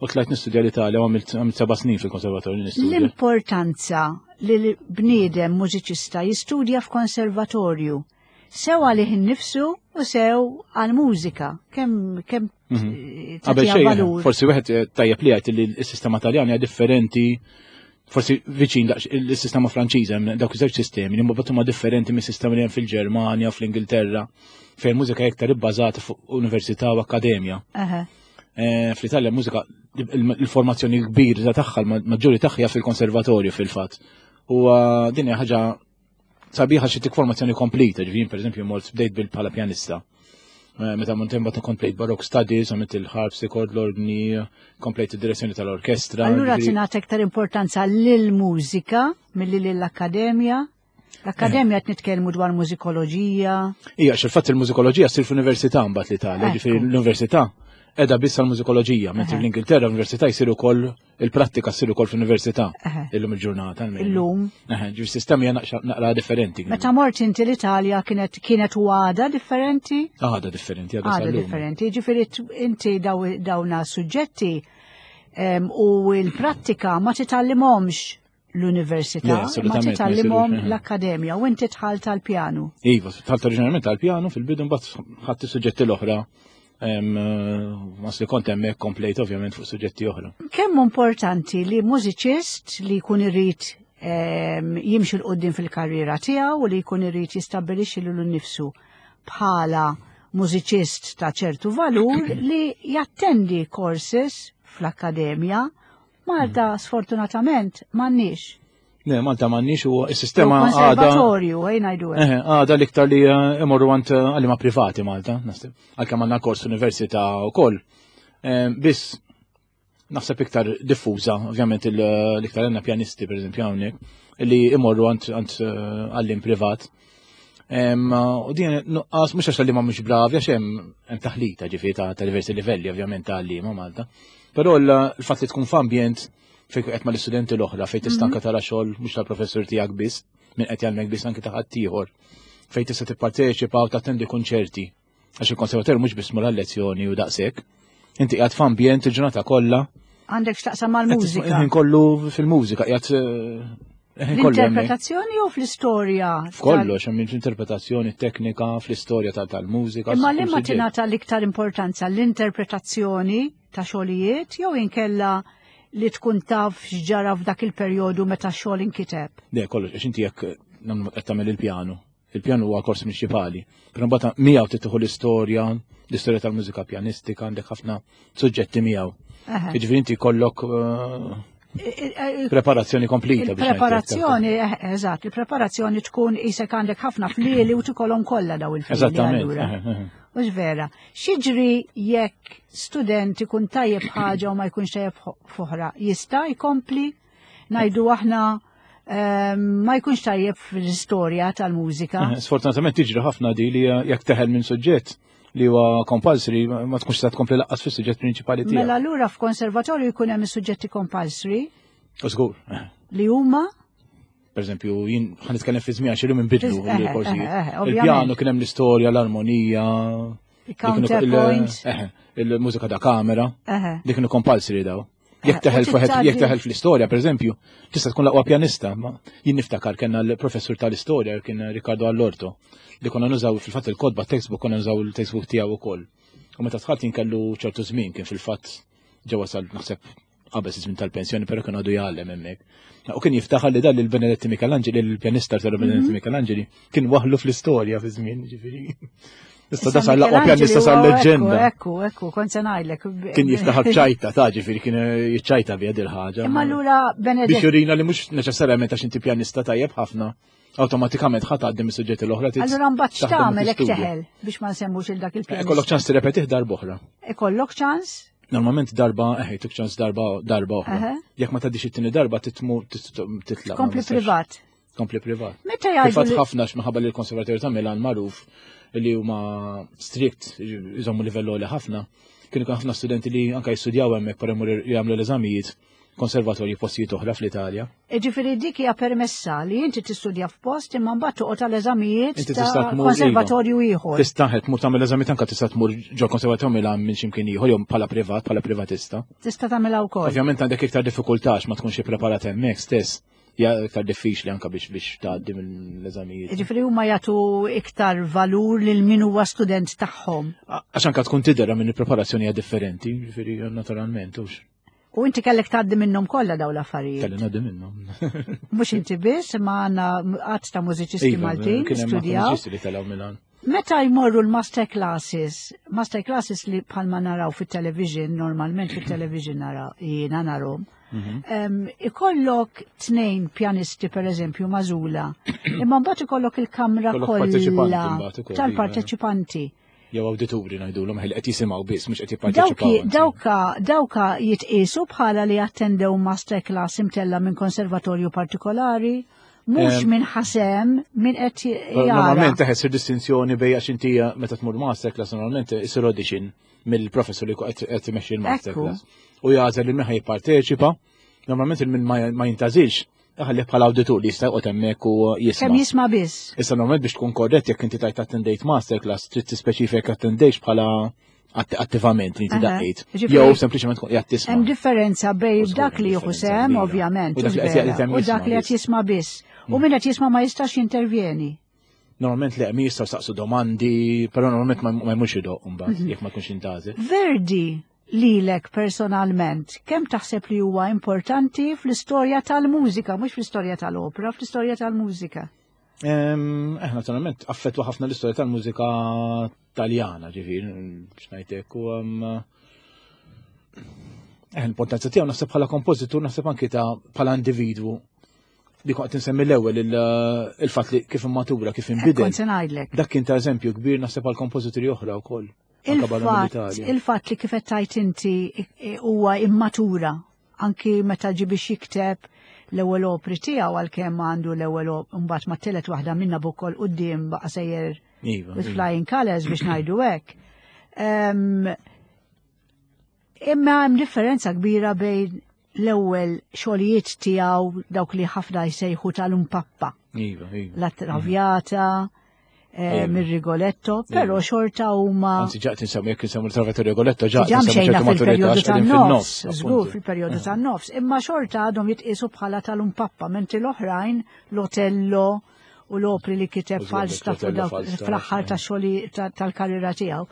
U tlajt nistudja l-Italja u għamilt seba' snin fil-konservatorju nistudja. L-importanza li l-bniedem mużiċista jistudja f'konservatorju sew għalih innifsu u sew għal-mużika. Kemm kemm mhm. Qabel xejn, forsi wieħed eh, tajjeb li għajt li s-sistema Taljan hija differenti forsi viċin il-sistema Franċiża hemm dawk iż-żewġ sistemi li mbagħad huma differenti mis-sistema li hemm fil-Ġermanja, fl-Ingilterra, fejn mużika iktar ibbażata fuq università u akkademja. Eh, Fl-Italja mużika il-formazzjoni kbir ta' tagħha l-maġġuri tagħha fil-konservatorju fil-fatt. U eh, din hija ħaġa sabiħa xi tik formazzjoni kompleta, ġifieri pereżempju mort bdejt bil bħala pjanista. Eh, meta mont imbagħad komplejt Baroque Studies, għamilt il-harpsichord, l-organi, komplejt id-direzzjoni tal-orkestra. Allura tingħata iktar importanza lill-mużika milli lill-akkademja? L-akkademja qed nitkellmu dwar mużikoloġija. Ija, xil-fatt il-mużikoloġija ssir fl-università mbagħad l-Italja, ġifieri l-università edha biss għal-mużikoloġija, mentri l-Ingilterra l-università jsir ukoll il-prattika ssir ukoll fl-università illum il-ġurnata. Illum. Ġifieri sistemi hija naqra differenti. Meta mort inti l-Italja kienet kienet u għada differenti? Għada differenti, għada differenti. Ġifieri inti dawna suġġetti u l-prattika ma titgħallimhomx l-università, ma titgħallimhom l-akkademja u inti tħalt tal-pjanu. Iva, tħalt oriġinarjament tal-pjanu fil-bidu mbagħad ħadd is-suġġetti l-oħra Mas li kont hemmhekk komplejt ovvjament fuq suġġetti oħra. Kemm importanti li mużiċist li jkun irid jimxi l qudiem fil-karriera tiegħu u li jkun irid jistabbilixxi lilu nnifsu bħala mużiċist ta' ċertu valur li jattendi courses fl-akkademja Malta sfortunatament m'għandniex. Le, Malta m'għandniex u s-sistema għada. Konservatorju, ejn ngħidu hekk. Għada l-iktar li eh, imorru għand eh, għalima privati Malta, naħseb. Għalkemm għandna kors università wkoll. Eh, biss naħseb iktar diffuża, ovvjament l-iktar għandna pjanisti pereżempju hawnhekk, li imorru għand għallim privat. U din nuqqas mhux għax li ma mhux bravi għax hemm taħlita ġifieri ta' diversi livelli ovvjament ta' għalliema Malta. Però l-fatt li tkun f'ambjent fejn qed mal-istudenti l-oħra fejn tista' anke mhm. tara xogħol mhux tal-professur tiegħek biss, minn qed jgħallmek biss anke ta' ħaddieħor fejn tista' tipparteċipa u tattendi kunċerti. Għax il-konservatorju mhux biss mur lezzjoni u daqshekk. Inti qiegħed f'ambjent il-ġurnata kollha. Għandek x'taqsam mal-mużika. Ħin kollu fil-mużika qiegħed eh, L-interpretazzjoni u fl-istorja? F'kollox, hemm l-interpretazzjoni teknika, fl-istorja tal-mużika. Imma li ma tingħata l-iktar importanza l-interpretazzjoni ta' xogħlijiet jew inkella li tkun taf x'ġara f'dak il-perjodu meta x-xogħol inkiteb? Le, kollox, għax inti jekk nagħmlu qed tagħmel il-pjanu. Il-pjanu huwa kors prinċipali. Però mbagħad miegħu titħu l-istorja, l-istorja tal-mużika pjanistika, għandek ħafna suġġetti miegħu. Jiġifieri inti jkollok eh, preparazzjoni komplita. Preparazzjoni, eh, eżatt, il-preparazzjoni tkun isek għandek ħafna flieli u tikolhom kollha daw il-flieli. Eżattament. Mhux vera. X'jiġri jekk student ikun tajjeb ħaġa u ma jkunx tajjeb f'oħra? Jista' jkompli ngħidu aħna ehm, ma jkunx tajjeb fl-istorja tal-mużika. Eh, sfortunatament tiġri ħafna di li jekk teħel minn suġġett li huwa compulsory ma tkunx ta' tkompli laqqas fis-suġġett prinċipali tiegħek. Mela allura f'konservatorju jkun hemm is-suġġetti compulsory. Żgur. Li huma Per eżempju, jien ħan nitkellem fi żmien xi inbidlu l-korsijiet. Il-pjano kien hemm l-istorja, l-armonija, il-counterpoint, il-mużika da kamera, li kienu compulsory daw. Jekk teħel jekk teħel fl-istorja, per eżempju, tista' tkun l-aqwa pjanista, ma jien niftakar kellna l-professur tal-istorja kien Riccardo Allorto li konna nużaw fil-fatt il-kodba textbook konna nużaw il-textbook tiegħu wkoll. U meta tħalt jien kellu ċertu żmien kien fil-fatt ġewwa sal naħseb qabeż iż-żmien tal-pensjoni, però kien għadu jgħallem hemmhekk. U kien jiftaħar li dan lil Benedetti Michelangeli, il-pjanista tal Benedetti mhm. Michelangeli, kien waħlu fl-istorja fi żmien, ġifieri. Issa da sar l-aqwa pjanista sar leġġenda. Ekku, ekku, kont se ngħidlek. Kien jiftaħar b'ċajta, ta' ġifieri kien jiċċajta bi il ħaġa. Imma allura Benedetti. Biex jurina li mhux neċessarjament għax inti pjanista tajjeb ħafna, awtomatikament ħadd għaddi mis-suġġetti l-oħra. Allura mbagħad x'tagħmel hekk teħel biex ma nsemmux il dak il-pjanista. Ikollok ċans tirrepetih darba oħra. Ikollok ċans? Normalment darba, eħe, tuk ċans darba, darba oħra. Jekk ma tgħaddix it-tieni darba titmu titlaq. Kompli privat. Kompli privat. Meta jgħidu. Fatt ħafna x'minħabba li l-Konservatorju ta' Milan magħruf li huma strict, jżommu livell għoli ħafna. Kienu ħafna studenti li anka jistudjaw hemmhekk per jagħmlu l-eżamijiet konservatorji postijiet oħra fl-Italja. Ġifieri dik hija permessa li inti tistudja f'post imma mbagħad toqgħod għal eżamijiet ta' iva. konservatorju ieħor. Tista' tmur tagħmel eżamijiet anke tista' tmur ġo konservatorju Milan minn x'imkien ieħor jew bħala privat, bħala privatista. Tista' tagħmilha wkoll. Ovvjament għandek iktar diffikultà ma tkunx ippreparat hemmhekk stess. Ja iktar diffiċli anka biex biex tgħaddi mill-eżamijiet. Ġifieri huma jagħtu iktar valur lil min huwa student tagħhom. Għax anka tkun tidher minn il-preparazzjoni hija differenti, ġifieri naturalment hux. U inti kellek tgħaddi minnhom kollha dawn l-affarijiet. Kelli ngħaddi minnhom. Mhux inti biss, imma għandna qatt ta' mużiċisti iva, Maltin studjaw. Mużiċisti li telgħu Milan. Meta jmorru l-master classes, master classes li bħalma naraw fit-television, normalment fit-television naraw, jiena narhom, mhm. ikollok tnejn pjanisti per eżempju mażula, imma mbagħad ikollok il-kamra kollha iva. tal-parteċipanti. Jew awdituri ngħidulhom ħil qed jisimgħu biss mhux qed jipparteċipaw. Dawka dawka jitqiesu bħala li attendew master class imtella minn konservatorju partikolari, Mhux minn ħasem, minn qed jara. Normalment teħed sir distinzjoni bejn għax inti meta tmur masterclass normalment isir audition mill-professor li qed imexxi l-masterclass. U jagħżel li min ħa jipparteċipa, normalment il-min ma jintażilx ħalli bħala awditur li jista' joqgħod hemmhekk u jisma'. Kemm jisma' biss. Issa normalment biex tkun korrett jekk inti tajt attendejt masterclass trid tispeċifika attendejx bħala attivament li inti daqqejt. Jew sempliċement tkun qiegħed tisma'. Hemm differenza bejn dak li jieħu sehem ovvjament u dak li qed jisma' biss. U min qed jisma' ma jistax jintervjeni. Normalment li hemm jistgħu saqsu domandi, però normalment ma jmurx idoq mbagħad jekk ma jkunx intażel. Verdi lilek personalment, kemm taħseb li huwa importanti fl-istorja tal-mużika, mhux fl-istorja tal-opra, fl-istorja tal-mużika? Naturalment, affettwa ħafna l-istorja tal-mużika taljana, ġifieri, x'ngħidlek, u l-importanza tiegħu naħseb bħala kompożitur, naħseb anki ta' bħala individwu li kont insemmi l-ewwel il-fatt li kif immatura, kif inbidel. Kont se ngħidlek. Dak kien ta' eżempju kbir naħseb għal kompożituri oħra wkoll. Anke barra mill-Italja. Il-fatt li kif qed tgħid inti huwa immatura anki meta ġie biex jikteb l-ewwel opri tiegħu għalkemm għandu l-ewwel mbagħad ma tielet waħda minna bukoll quddiem baqa' sejjer with flying colors biex ngħidu hekk. Imma hemm differenza kbira bejn l-ewwel xogħlijiet tiegħu dawk li ħafna jsejħu tal-umpappa. Iva. La Traviata, mir-Rigoletto, però xorta huma. Anzi, ġaqt insemmu jekk insemmu l-Traviata Rigoletto, ġaqt Ġa insemmu mxejna ċertu maturità fil-perjodu għax qegħdin tan-nofs, fin-nofs, żgur appuntu. fil-perjodu tan-nofs, imma xorta għadhom jitqiesu bħala tal-umpappa, mentri l-oħrajn l-Otello u l-opri li kiteb Użgur, Falstaff u l-Otello dawk Falstaff, fl-aħħar ta' xogħli tal-karriera tiegħu.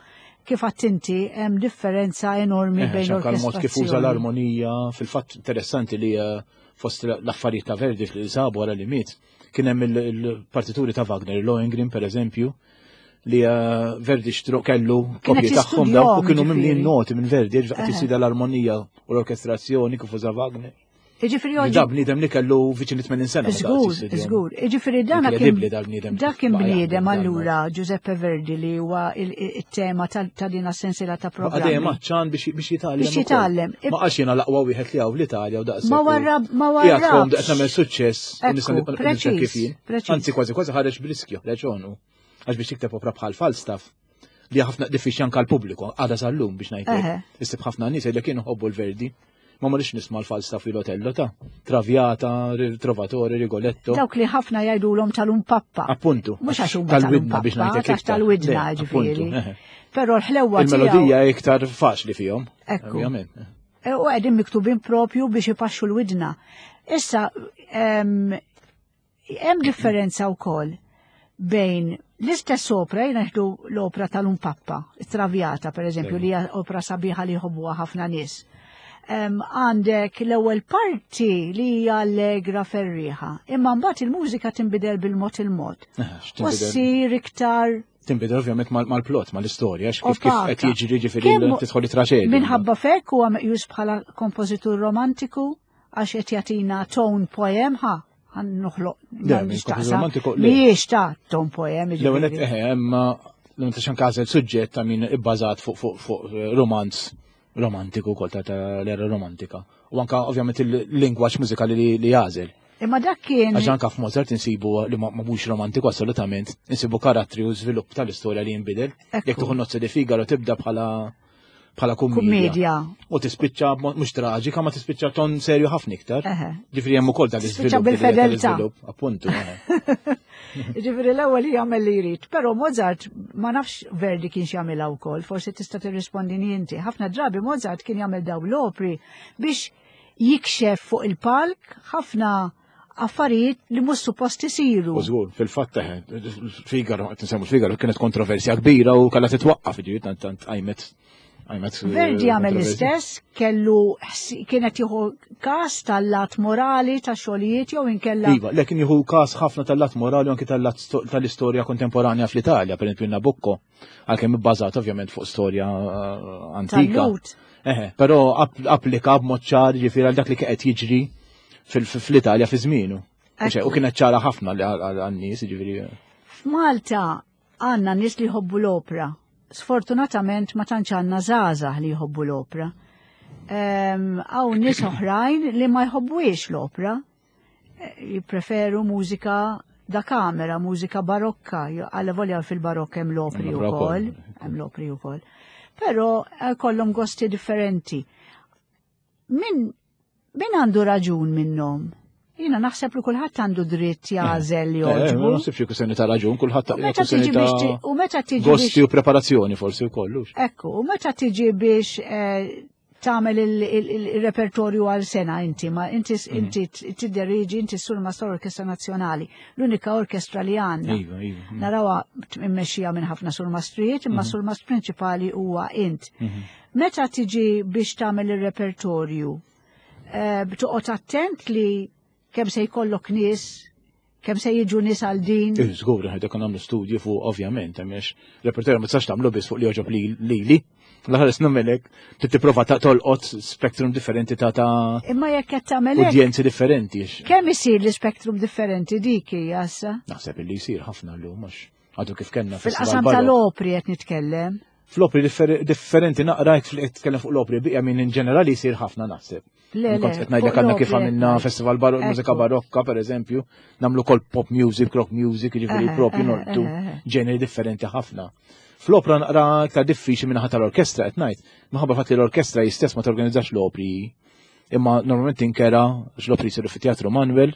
Kif għattinti hemm differenza enormi bejn Xanka l-mod kif uża l-orkestrazzjoni. l-armonija, fil-fatt interessanti li fost l-affarijiet ta' Verdi fil-sabu wara li miet, kien hemm il-partituri ta' Wagner, Lohengrin per eżempju, li Verdi xtru kellu Kienet kopji tagħhom jistudjahom, daw u kienu mimlijin ġifieri. noti minn Verdi, ġifieri qed jisida l-armonija u l-orkestrazzjoni kif uża Wagner. Jiġifieri oggi Da bniedem li kellu viċin 80 sena meta Żgur, qed jistudjahom. żgur. Jiġifieri dan kien Inkredibbli dal-bniedem dak kien baqa' jaħdem bniedem dal-mod. allura Giuseppe Verdi li huwa il-tema ta' din as-sensiela ta' Baqa' dejjem programmi. għatxan biex jitgħallem Biex ukoll. jitgħallem. Ma qalx jiena l-aqwa wieħed li hawn l-Italja u daqshekk Ma u ma qiegħed warrabx. kom daqs nagħmel suċċess u Ekku, nista' nibqa' nibqa' kif preċiż, jien. preċiż. Anzi, kważi kważi ħareġ b'riskju, reġonu. Għax biex jikteb opra bħal Falstaff li ħafna diffiċli anke għall-pubbliku, għadha sal-lum biex ngħidlek. Issib ħafna nies li kienu ħobbu l-Verdi. Ma marrix nisma' l-Falstaff fil-Otello ta' Traviata, Trovatore, Rigoletto. Dawk li ħafna jgħidulhom tal-umpappa. Appuntu. Mhux għax huma Tal-widna biex tal-umpappa, ngħidlek għax iktar. tal-widna, Le, ġifieri. appuntu, eħe. Però l-ħlewwa tiegħu Il-melodija iktar faċli fihom. Ekku. Ovvjament. U qegħdin miktubin propju biex ipaxxu l-widna. Issa, hemm differenza wkoll bejn l-istess opra, jiena nieħdu l-opra tal-Umpappa, Traviata per eżempju, li hija opra sabiħa li jħobbuha ħafna nies. Għandek l-ewwel parti li hija allegra ferriħa, imma mbagħad il-mużika tinbidel bil-mod il-mod. X'tinbidel? U ssir iktar Tinbidel ovvjament mal-plot, mal-istorja, għax kif Opaka. qed jiġri ġifieri Kemm tidħol it-traġedja. Minħabba fekk huwa meqjus bħala kompożitur romantiku għax qed jagħtina tone poem ħa ħan noħloq Le, minn nistaqsa. kompożitur romantiku, le. Mhijiex ta' tone poem, L-ewwel jiġifieri. eħe, imma l-ewwel ta' xanka suġġett ta' min ibbażat fuq romanz romantiku wkoll ta' l-era romantika. U anka ovvjament il-lingwaġġ mużikali li jagħżel. Imma dak kien Għax anka f'Mozart insibu li ma mhux romantiku assolutament, insibu karattri u żvilupp tal-istorja li jinbidel. Ekku. Jekk tieħu Nozze di Figaro tibda bħala kummedja. Kummedja. U tispiċċa b'mod mhux traġika, ma tispiċċa ton serju ħafna iktar. Ġifieri hemm ukoll dan Tispiċċa l-iżvilupp, bil-fedeltà. l-iżvilupp, appuntu, eħe. Ġifieri l-ewwel jagħmel li jrid, però Mozart ma nafx Verdi kienx jagħmilha wkoll, forsi tista' tirrispondini inti. Ħafna drabi Mozart kien jagħmel dawn l-opri biex jikxef fuq il-palk ħafna affarijiet li mhux suppost isiru. U żgur, fil-fatt eħe, Figaro, qed insemmu Figaro, kienet kontroversja kbira u kellha titwaqqaf, ġifieri tant tant qajmet qajmet, Verdi għamel kontroversja. l-istess, kellu kienet jieħu każ tal-lat morali ta' xogħlijiet jew inkella. Iva, lekin jieħu każ ħafna tal-lat morali u anki tal-lat tal-istorja kontemporanja fl-Italja, per esempio Nabucco, għalkemm ibbażat ovvjament fuq storja antika. Tal-Lut. Eħe, però applika b'mod ċar ġifieri għal dak li qed jiġri fl-Italja fi żmienu. U kienet ċara ħafna li għan-nies, ġifieri. F'Malta għandna nies li jħobbu l-opra. Sfortunatament ma tantx għandna żgħażagħ li jħobbu l-opra. Hawn nies oħrajn li ma jħobbuhiex l-opra. Jippreferu mużika da kamera, mużika barokka, għalla volja fil-barokk hemm l-opri wkoll, hemm l-opri wkoll. Però eh, kollhom gosti differenti. Min min għandu raġun minnhom? Jiena naħseb li kulħadd għandu dritt jagħżel li eh, eh, jogħġbu. Ma naħsibx kwistjoni ta' raġun, kulħadd meta tiġi biex u meta tiġi gosti u preparazzjoni forsi wkoll. Ekku, u meta tiġi biex eh, tagħmel il-repertorju għal sena inti, ma inti mhm. inti tidderiġi inti sur ma orkestra nazzjonali, l-unika orkestra li għandna. Iva, iva. Mhm. Narawha immexxija minn ħafna surmastrijiet, imma mhm. surmast prinċipali huwa int. Meta tiġi biex tagħmel ir-repertorju, eh, toqgħod attent li kemm se jkollok nies, kemm se jiġu nies għal din. Eh, żgur, ħed ikun nagħmlu studji fuq ovvjament, għax repertorju ma tistax tagħmlu biss fuq li joġob lili. L-aħħar nagħmelek trid tipprova ta' tolqot spektrum differenti ta' ta' Imma jekk qed tagħmel udjenzi differenti. Kemm isir l-ispektrum differenti dik hija issa? Naħseb li jsir ħafna llum għax għadu kif kellna fil-qasam tal-opri qed nitkellem. Fl-opri differenti naqra jekk tkellem fuq l-opri biqja minn in ġenerali jsir ħafna naħseb. Le, Kont qed ngħidlek għandna kif għamilna festival barok, mużika barokka pereżempju, nagħmlu kol pop music, rock music, jiġifieri propju nortu ġeneri differenti ħafna. Fl-opra naqra iktar diffiċli minn ħadd tal-orkestra qed ngħid, minħabba fatt li l-orkestra jistess ma torganizzax l-opri. Imma normalment tinkera għax l-opri jsiru fit-Teatru Manuel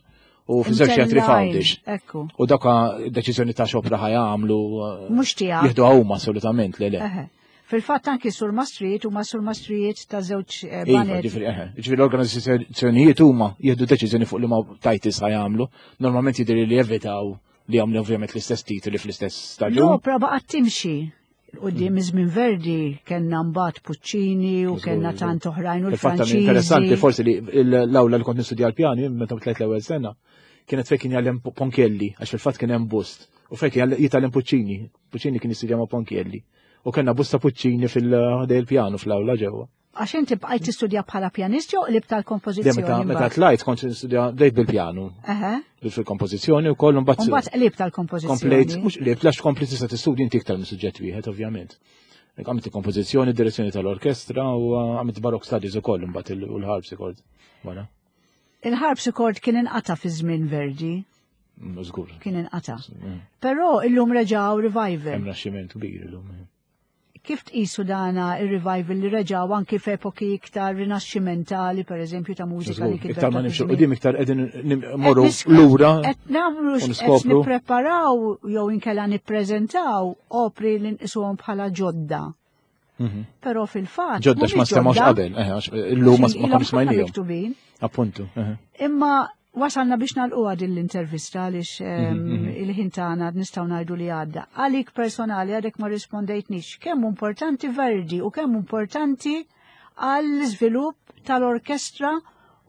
u fi żewġ teatri f'Għawdex. Ekku. U dawka deċiżjoni ta' xopra ħajamlu. Eh, Mhux tiegħek. Jieħdu huma assolutament le le. Fil-fatt anki sur mastrijiet huma sur mastrijiet ta' żewġ eh, iva, banet. Ġifieri ġifieri l-organizzazzjonijiet huma jieħdu deċiżjoni fuq li ma tajtis ħajamlu. Normalment jidhir li jevitaw li jagħmlu ovvjament l-istess titoli fl-istess staġun. L-opra baqgħet timxi. Qudiem iż-żmien Verdi kellna mbagħad Puccini u kellna tant oħrajn u l-Franċiżi. Interessanti forsi li l-awla li kont nistudja l-pjani meta tlajt l-ewwel sena kienet fejn kien jgħallem Ponchielli għax fil-fatt kien hemm bust u fejn kien jitgħallem Puccini. Puccini kien jistudja ma' Ponchielli. U kellna busta Puccini fil-ħdej il-pjanu fl-awla ġewwa. Għax inti bqajt tistudja bħala pjanist jew qlib tal-kompożizzjoni? Meta tlajt kont nistudja bdejt bil-pjanu. Fil-kompożizzjoni u kollu mbagħad. Mbagħad qlib tal-kompożizzjoni. Komplejt, mhux qlib, għax kompli tista' tistudja inti iktar minn suġġett wieħed ovvjament. Għamilt il-kompożizzjoni, direzzjoni tal-orkestra u għamilt barok studies ukoll imbagħad u l-harpsichord wara. Il-harpsichord kien inqata' fi żmien Verdi. Mm, żgur. Kien inqata'. Mm. Però illum reġgħu revival. Hemm raxximent kbir illum. Eh. Kif tqisu dana ir-revival li reġgħu anki f'epoki iktar rinaxximentali, per eżempju, ta' mużika li kitbet? Iktar ma nimxu qudiem iktar qegħdin morru lura. Qed nagħmlu qed nippreparaw jew inkella nippreżentaw opri li nqisuhom bħala ġodda. Mhm. Però fil-fatt. Ġodda x'ma stemgħux qabel, eh, illum ma konniex smajnihom. Appuntu. Eh. Imma Wasalna biex nagħlquha din l-intervista għaliex mhm, mhm. il-ħin tagħna nistgħu ngħidu li għadda. Għalik personali għadek ma rispondejtnix kemm importanti Verdi u kemm importanti għall-iżvilupp tal-orkestra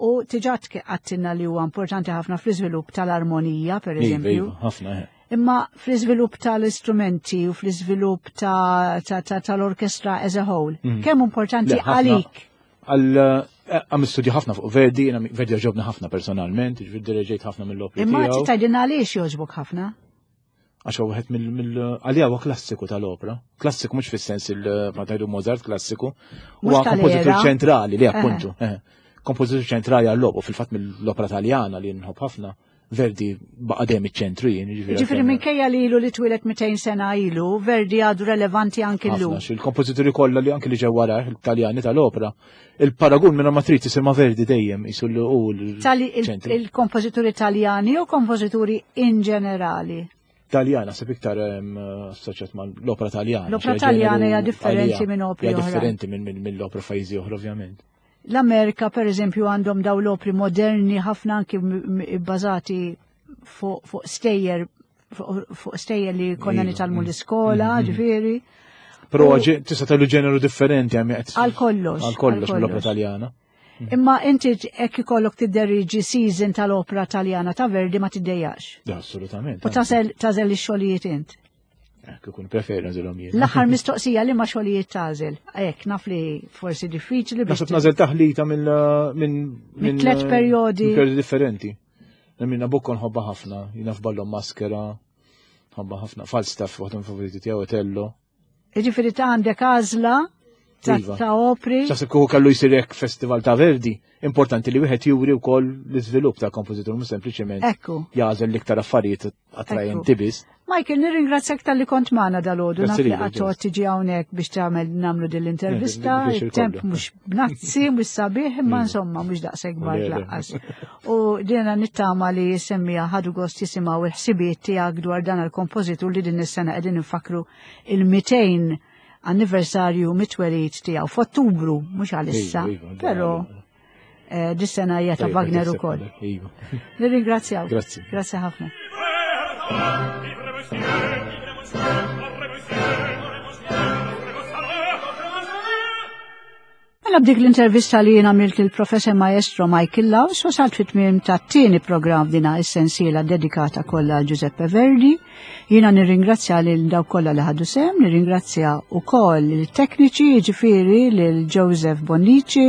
u tiġa għattinna li huwa importanti ħafna fl-iżvilupp tal-armonija, per iva, eżempju. Iva, ħafna, eh. Imma fl-iżvilupp tal-istrumenti u fl-iżvilupp tal-orkestra as a whole, mhm. kemm importanti għalik? Għal eh, għam studju ħafna fuq Verdi, jiena Verdi jogħġobni ħafna personalment, ġifieri direġejt ħafna mill-opri. Imma tgħidilna għaliex jogħġbok ħafna? Għax huwa wieħed mill għalija huwa klassiku tal-opra. Klassiku mhux fis-sens il ma tgħidu Mozart klassiku. Huwa kompożitur ċentrali li appuntu. Eh, kompożitur ċentrali għall-opra fil-fatt mill-opra Taljana li nħobb ħafna. Verdi baqa' dejjem iċ-ċentru jien. Ġifieri minkejja li ilu li twieled 200 sena ilu, Verdi għadu relevanti anki llum. Il-kompożituri kollha li anki li ġew wara il-Taljani tal-opra, il-paragun minn ma trid isir ma' Verdi dejjem isu l u Il-kompożituri Taljani u kompożituri in ġenerali? Taljana, seb iktar assoċjat ma' l-opra Taljana. L-opra Taljana hija differenti minn opri oħra. Differenti minn l-opra f'pajjiżi oħra ovvjament. L-Amerika per eżempju għandhom daw l-opri moderni ħafna anki bbażati fuq stejjer fuq stejjer li konna iva, nitalmu mm. l-iskola, mm, mm. ġifieri. Però tista' tagħlu ġeneru differenti għam Għal kollox. Għal kollox mill-opra Taljana. Imma inti hekk ikollok tidderiġi season tal-opra Taljana ta' Verdi ma tiddejjax. Assolutament. U tażel ix-xogħlijiet int. Hekk ikun preferi nżilhom jien. L-aħħar mistoqsija li ma xogħlijiet tagħżel. Hekk naf li forsi diffiċli biex. Naħseb nażel taħlita minn minn tliet perjodi. Perjodi differenti. Minn Nabucco nħobba ħafna, jiena f'ballon maskera, nħobba ħafna. Falstaff waħda minn favoriti tiegħu Otello. Jiġifieri ta' għandek għażla. ta' Iva. ta' opri. X'taħseb kieku kellu jsir hekk festival ta' Verdi, importanti li wieħed juri wkoll l-iżvilupp ta' kompożitur mhux sempliċement Ekku. jagħżel l-iktar affarijiet attrajenti biss. Michael, nirringrazzjak talli kont magħna dalgħodu, naf Grazzi li lilek, qatt Joyce. tiġi hawnhekk biex tagħmel nagħmlu din l-intervista, Eh, biex it-temp il-kollu. mhux bnazzi, mhux sabiħ, imma insomma mhux daqshekk kbar Le, le. laqqas. U dina nittama li semmija ħadu gost jisimgħu il-ħsibijiet tiegħek dwar dan il-kompożitur li din is-sena qegħdin infakru il-200 anniversarju mit-twelid tiegħu f'Ottubru, mhux għalissa, Iva, iva, però eh, dis-sena hija ta' Tajjeb, Wagner qed ukoll. tiħseb, Iva. Nirringrazzjaw. Grazzi. Grazzi ħafna. Mela b'dik l-intervista li jien għamilt lill-Professor Maestro Michael Laws wasalt fit-tmiem tat-tieni programm dina is-sensiela dedikata kollha għal Giuseppe Verdi. Jiena nirringrazzja lil dawk kollha li ħadu sehem, nirringrazzja wkoll il-tekniċi, jiġifieri lil Joseph Bonnici,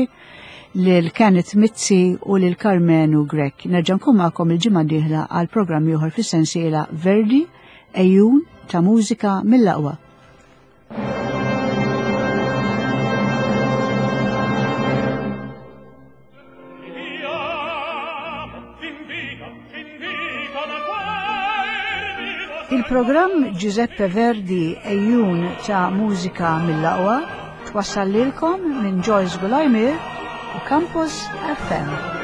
lil Kenneth Mizzi u lil Carmenu Grech. Nerġa' nkun magħkom il-ġimgħa d-dieħla għal programm ieħor fis-sensiela Verdi, ejjun ta' mużika mill-aqwa. Il-programm Giuseppe Verdi ejjun ta' mużika mill-aqwa twassal lilkom minn Joyce Gulajmir u Campus FM.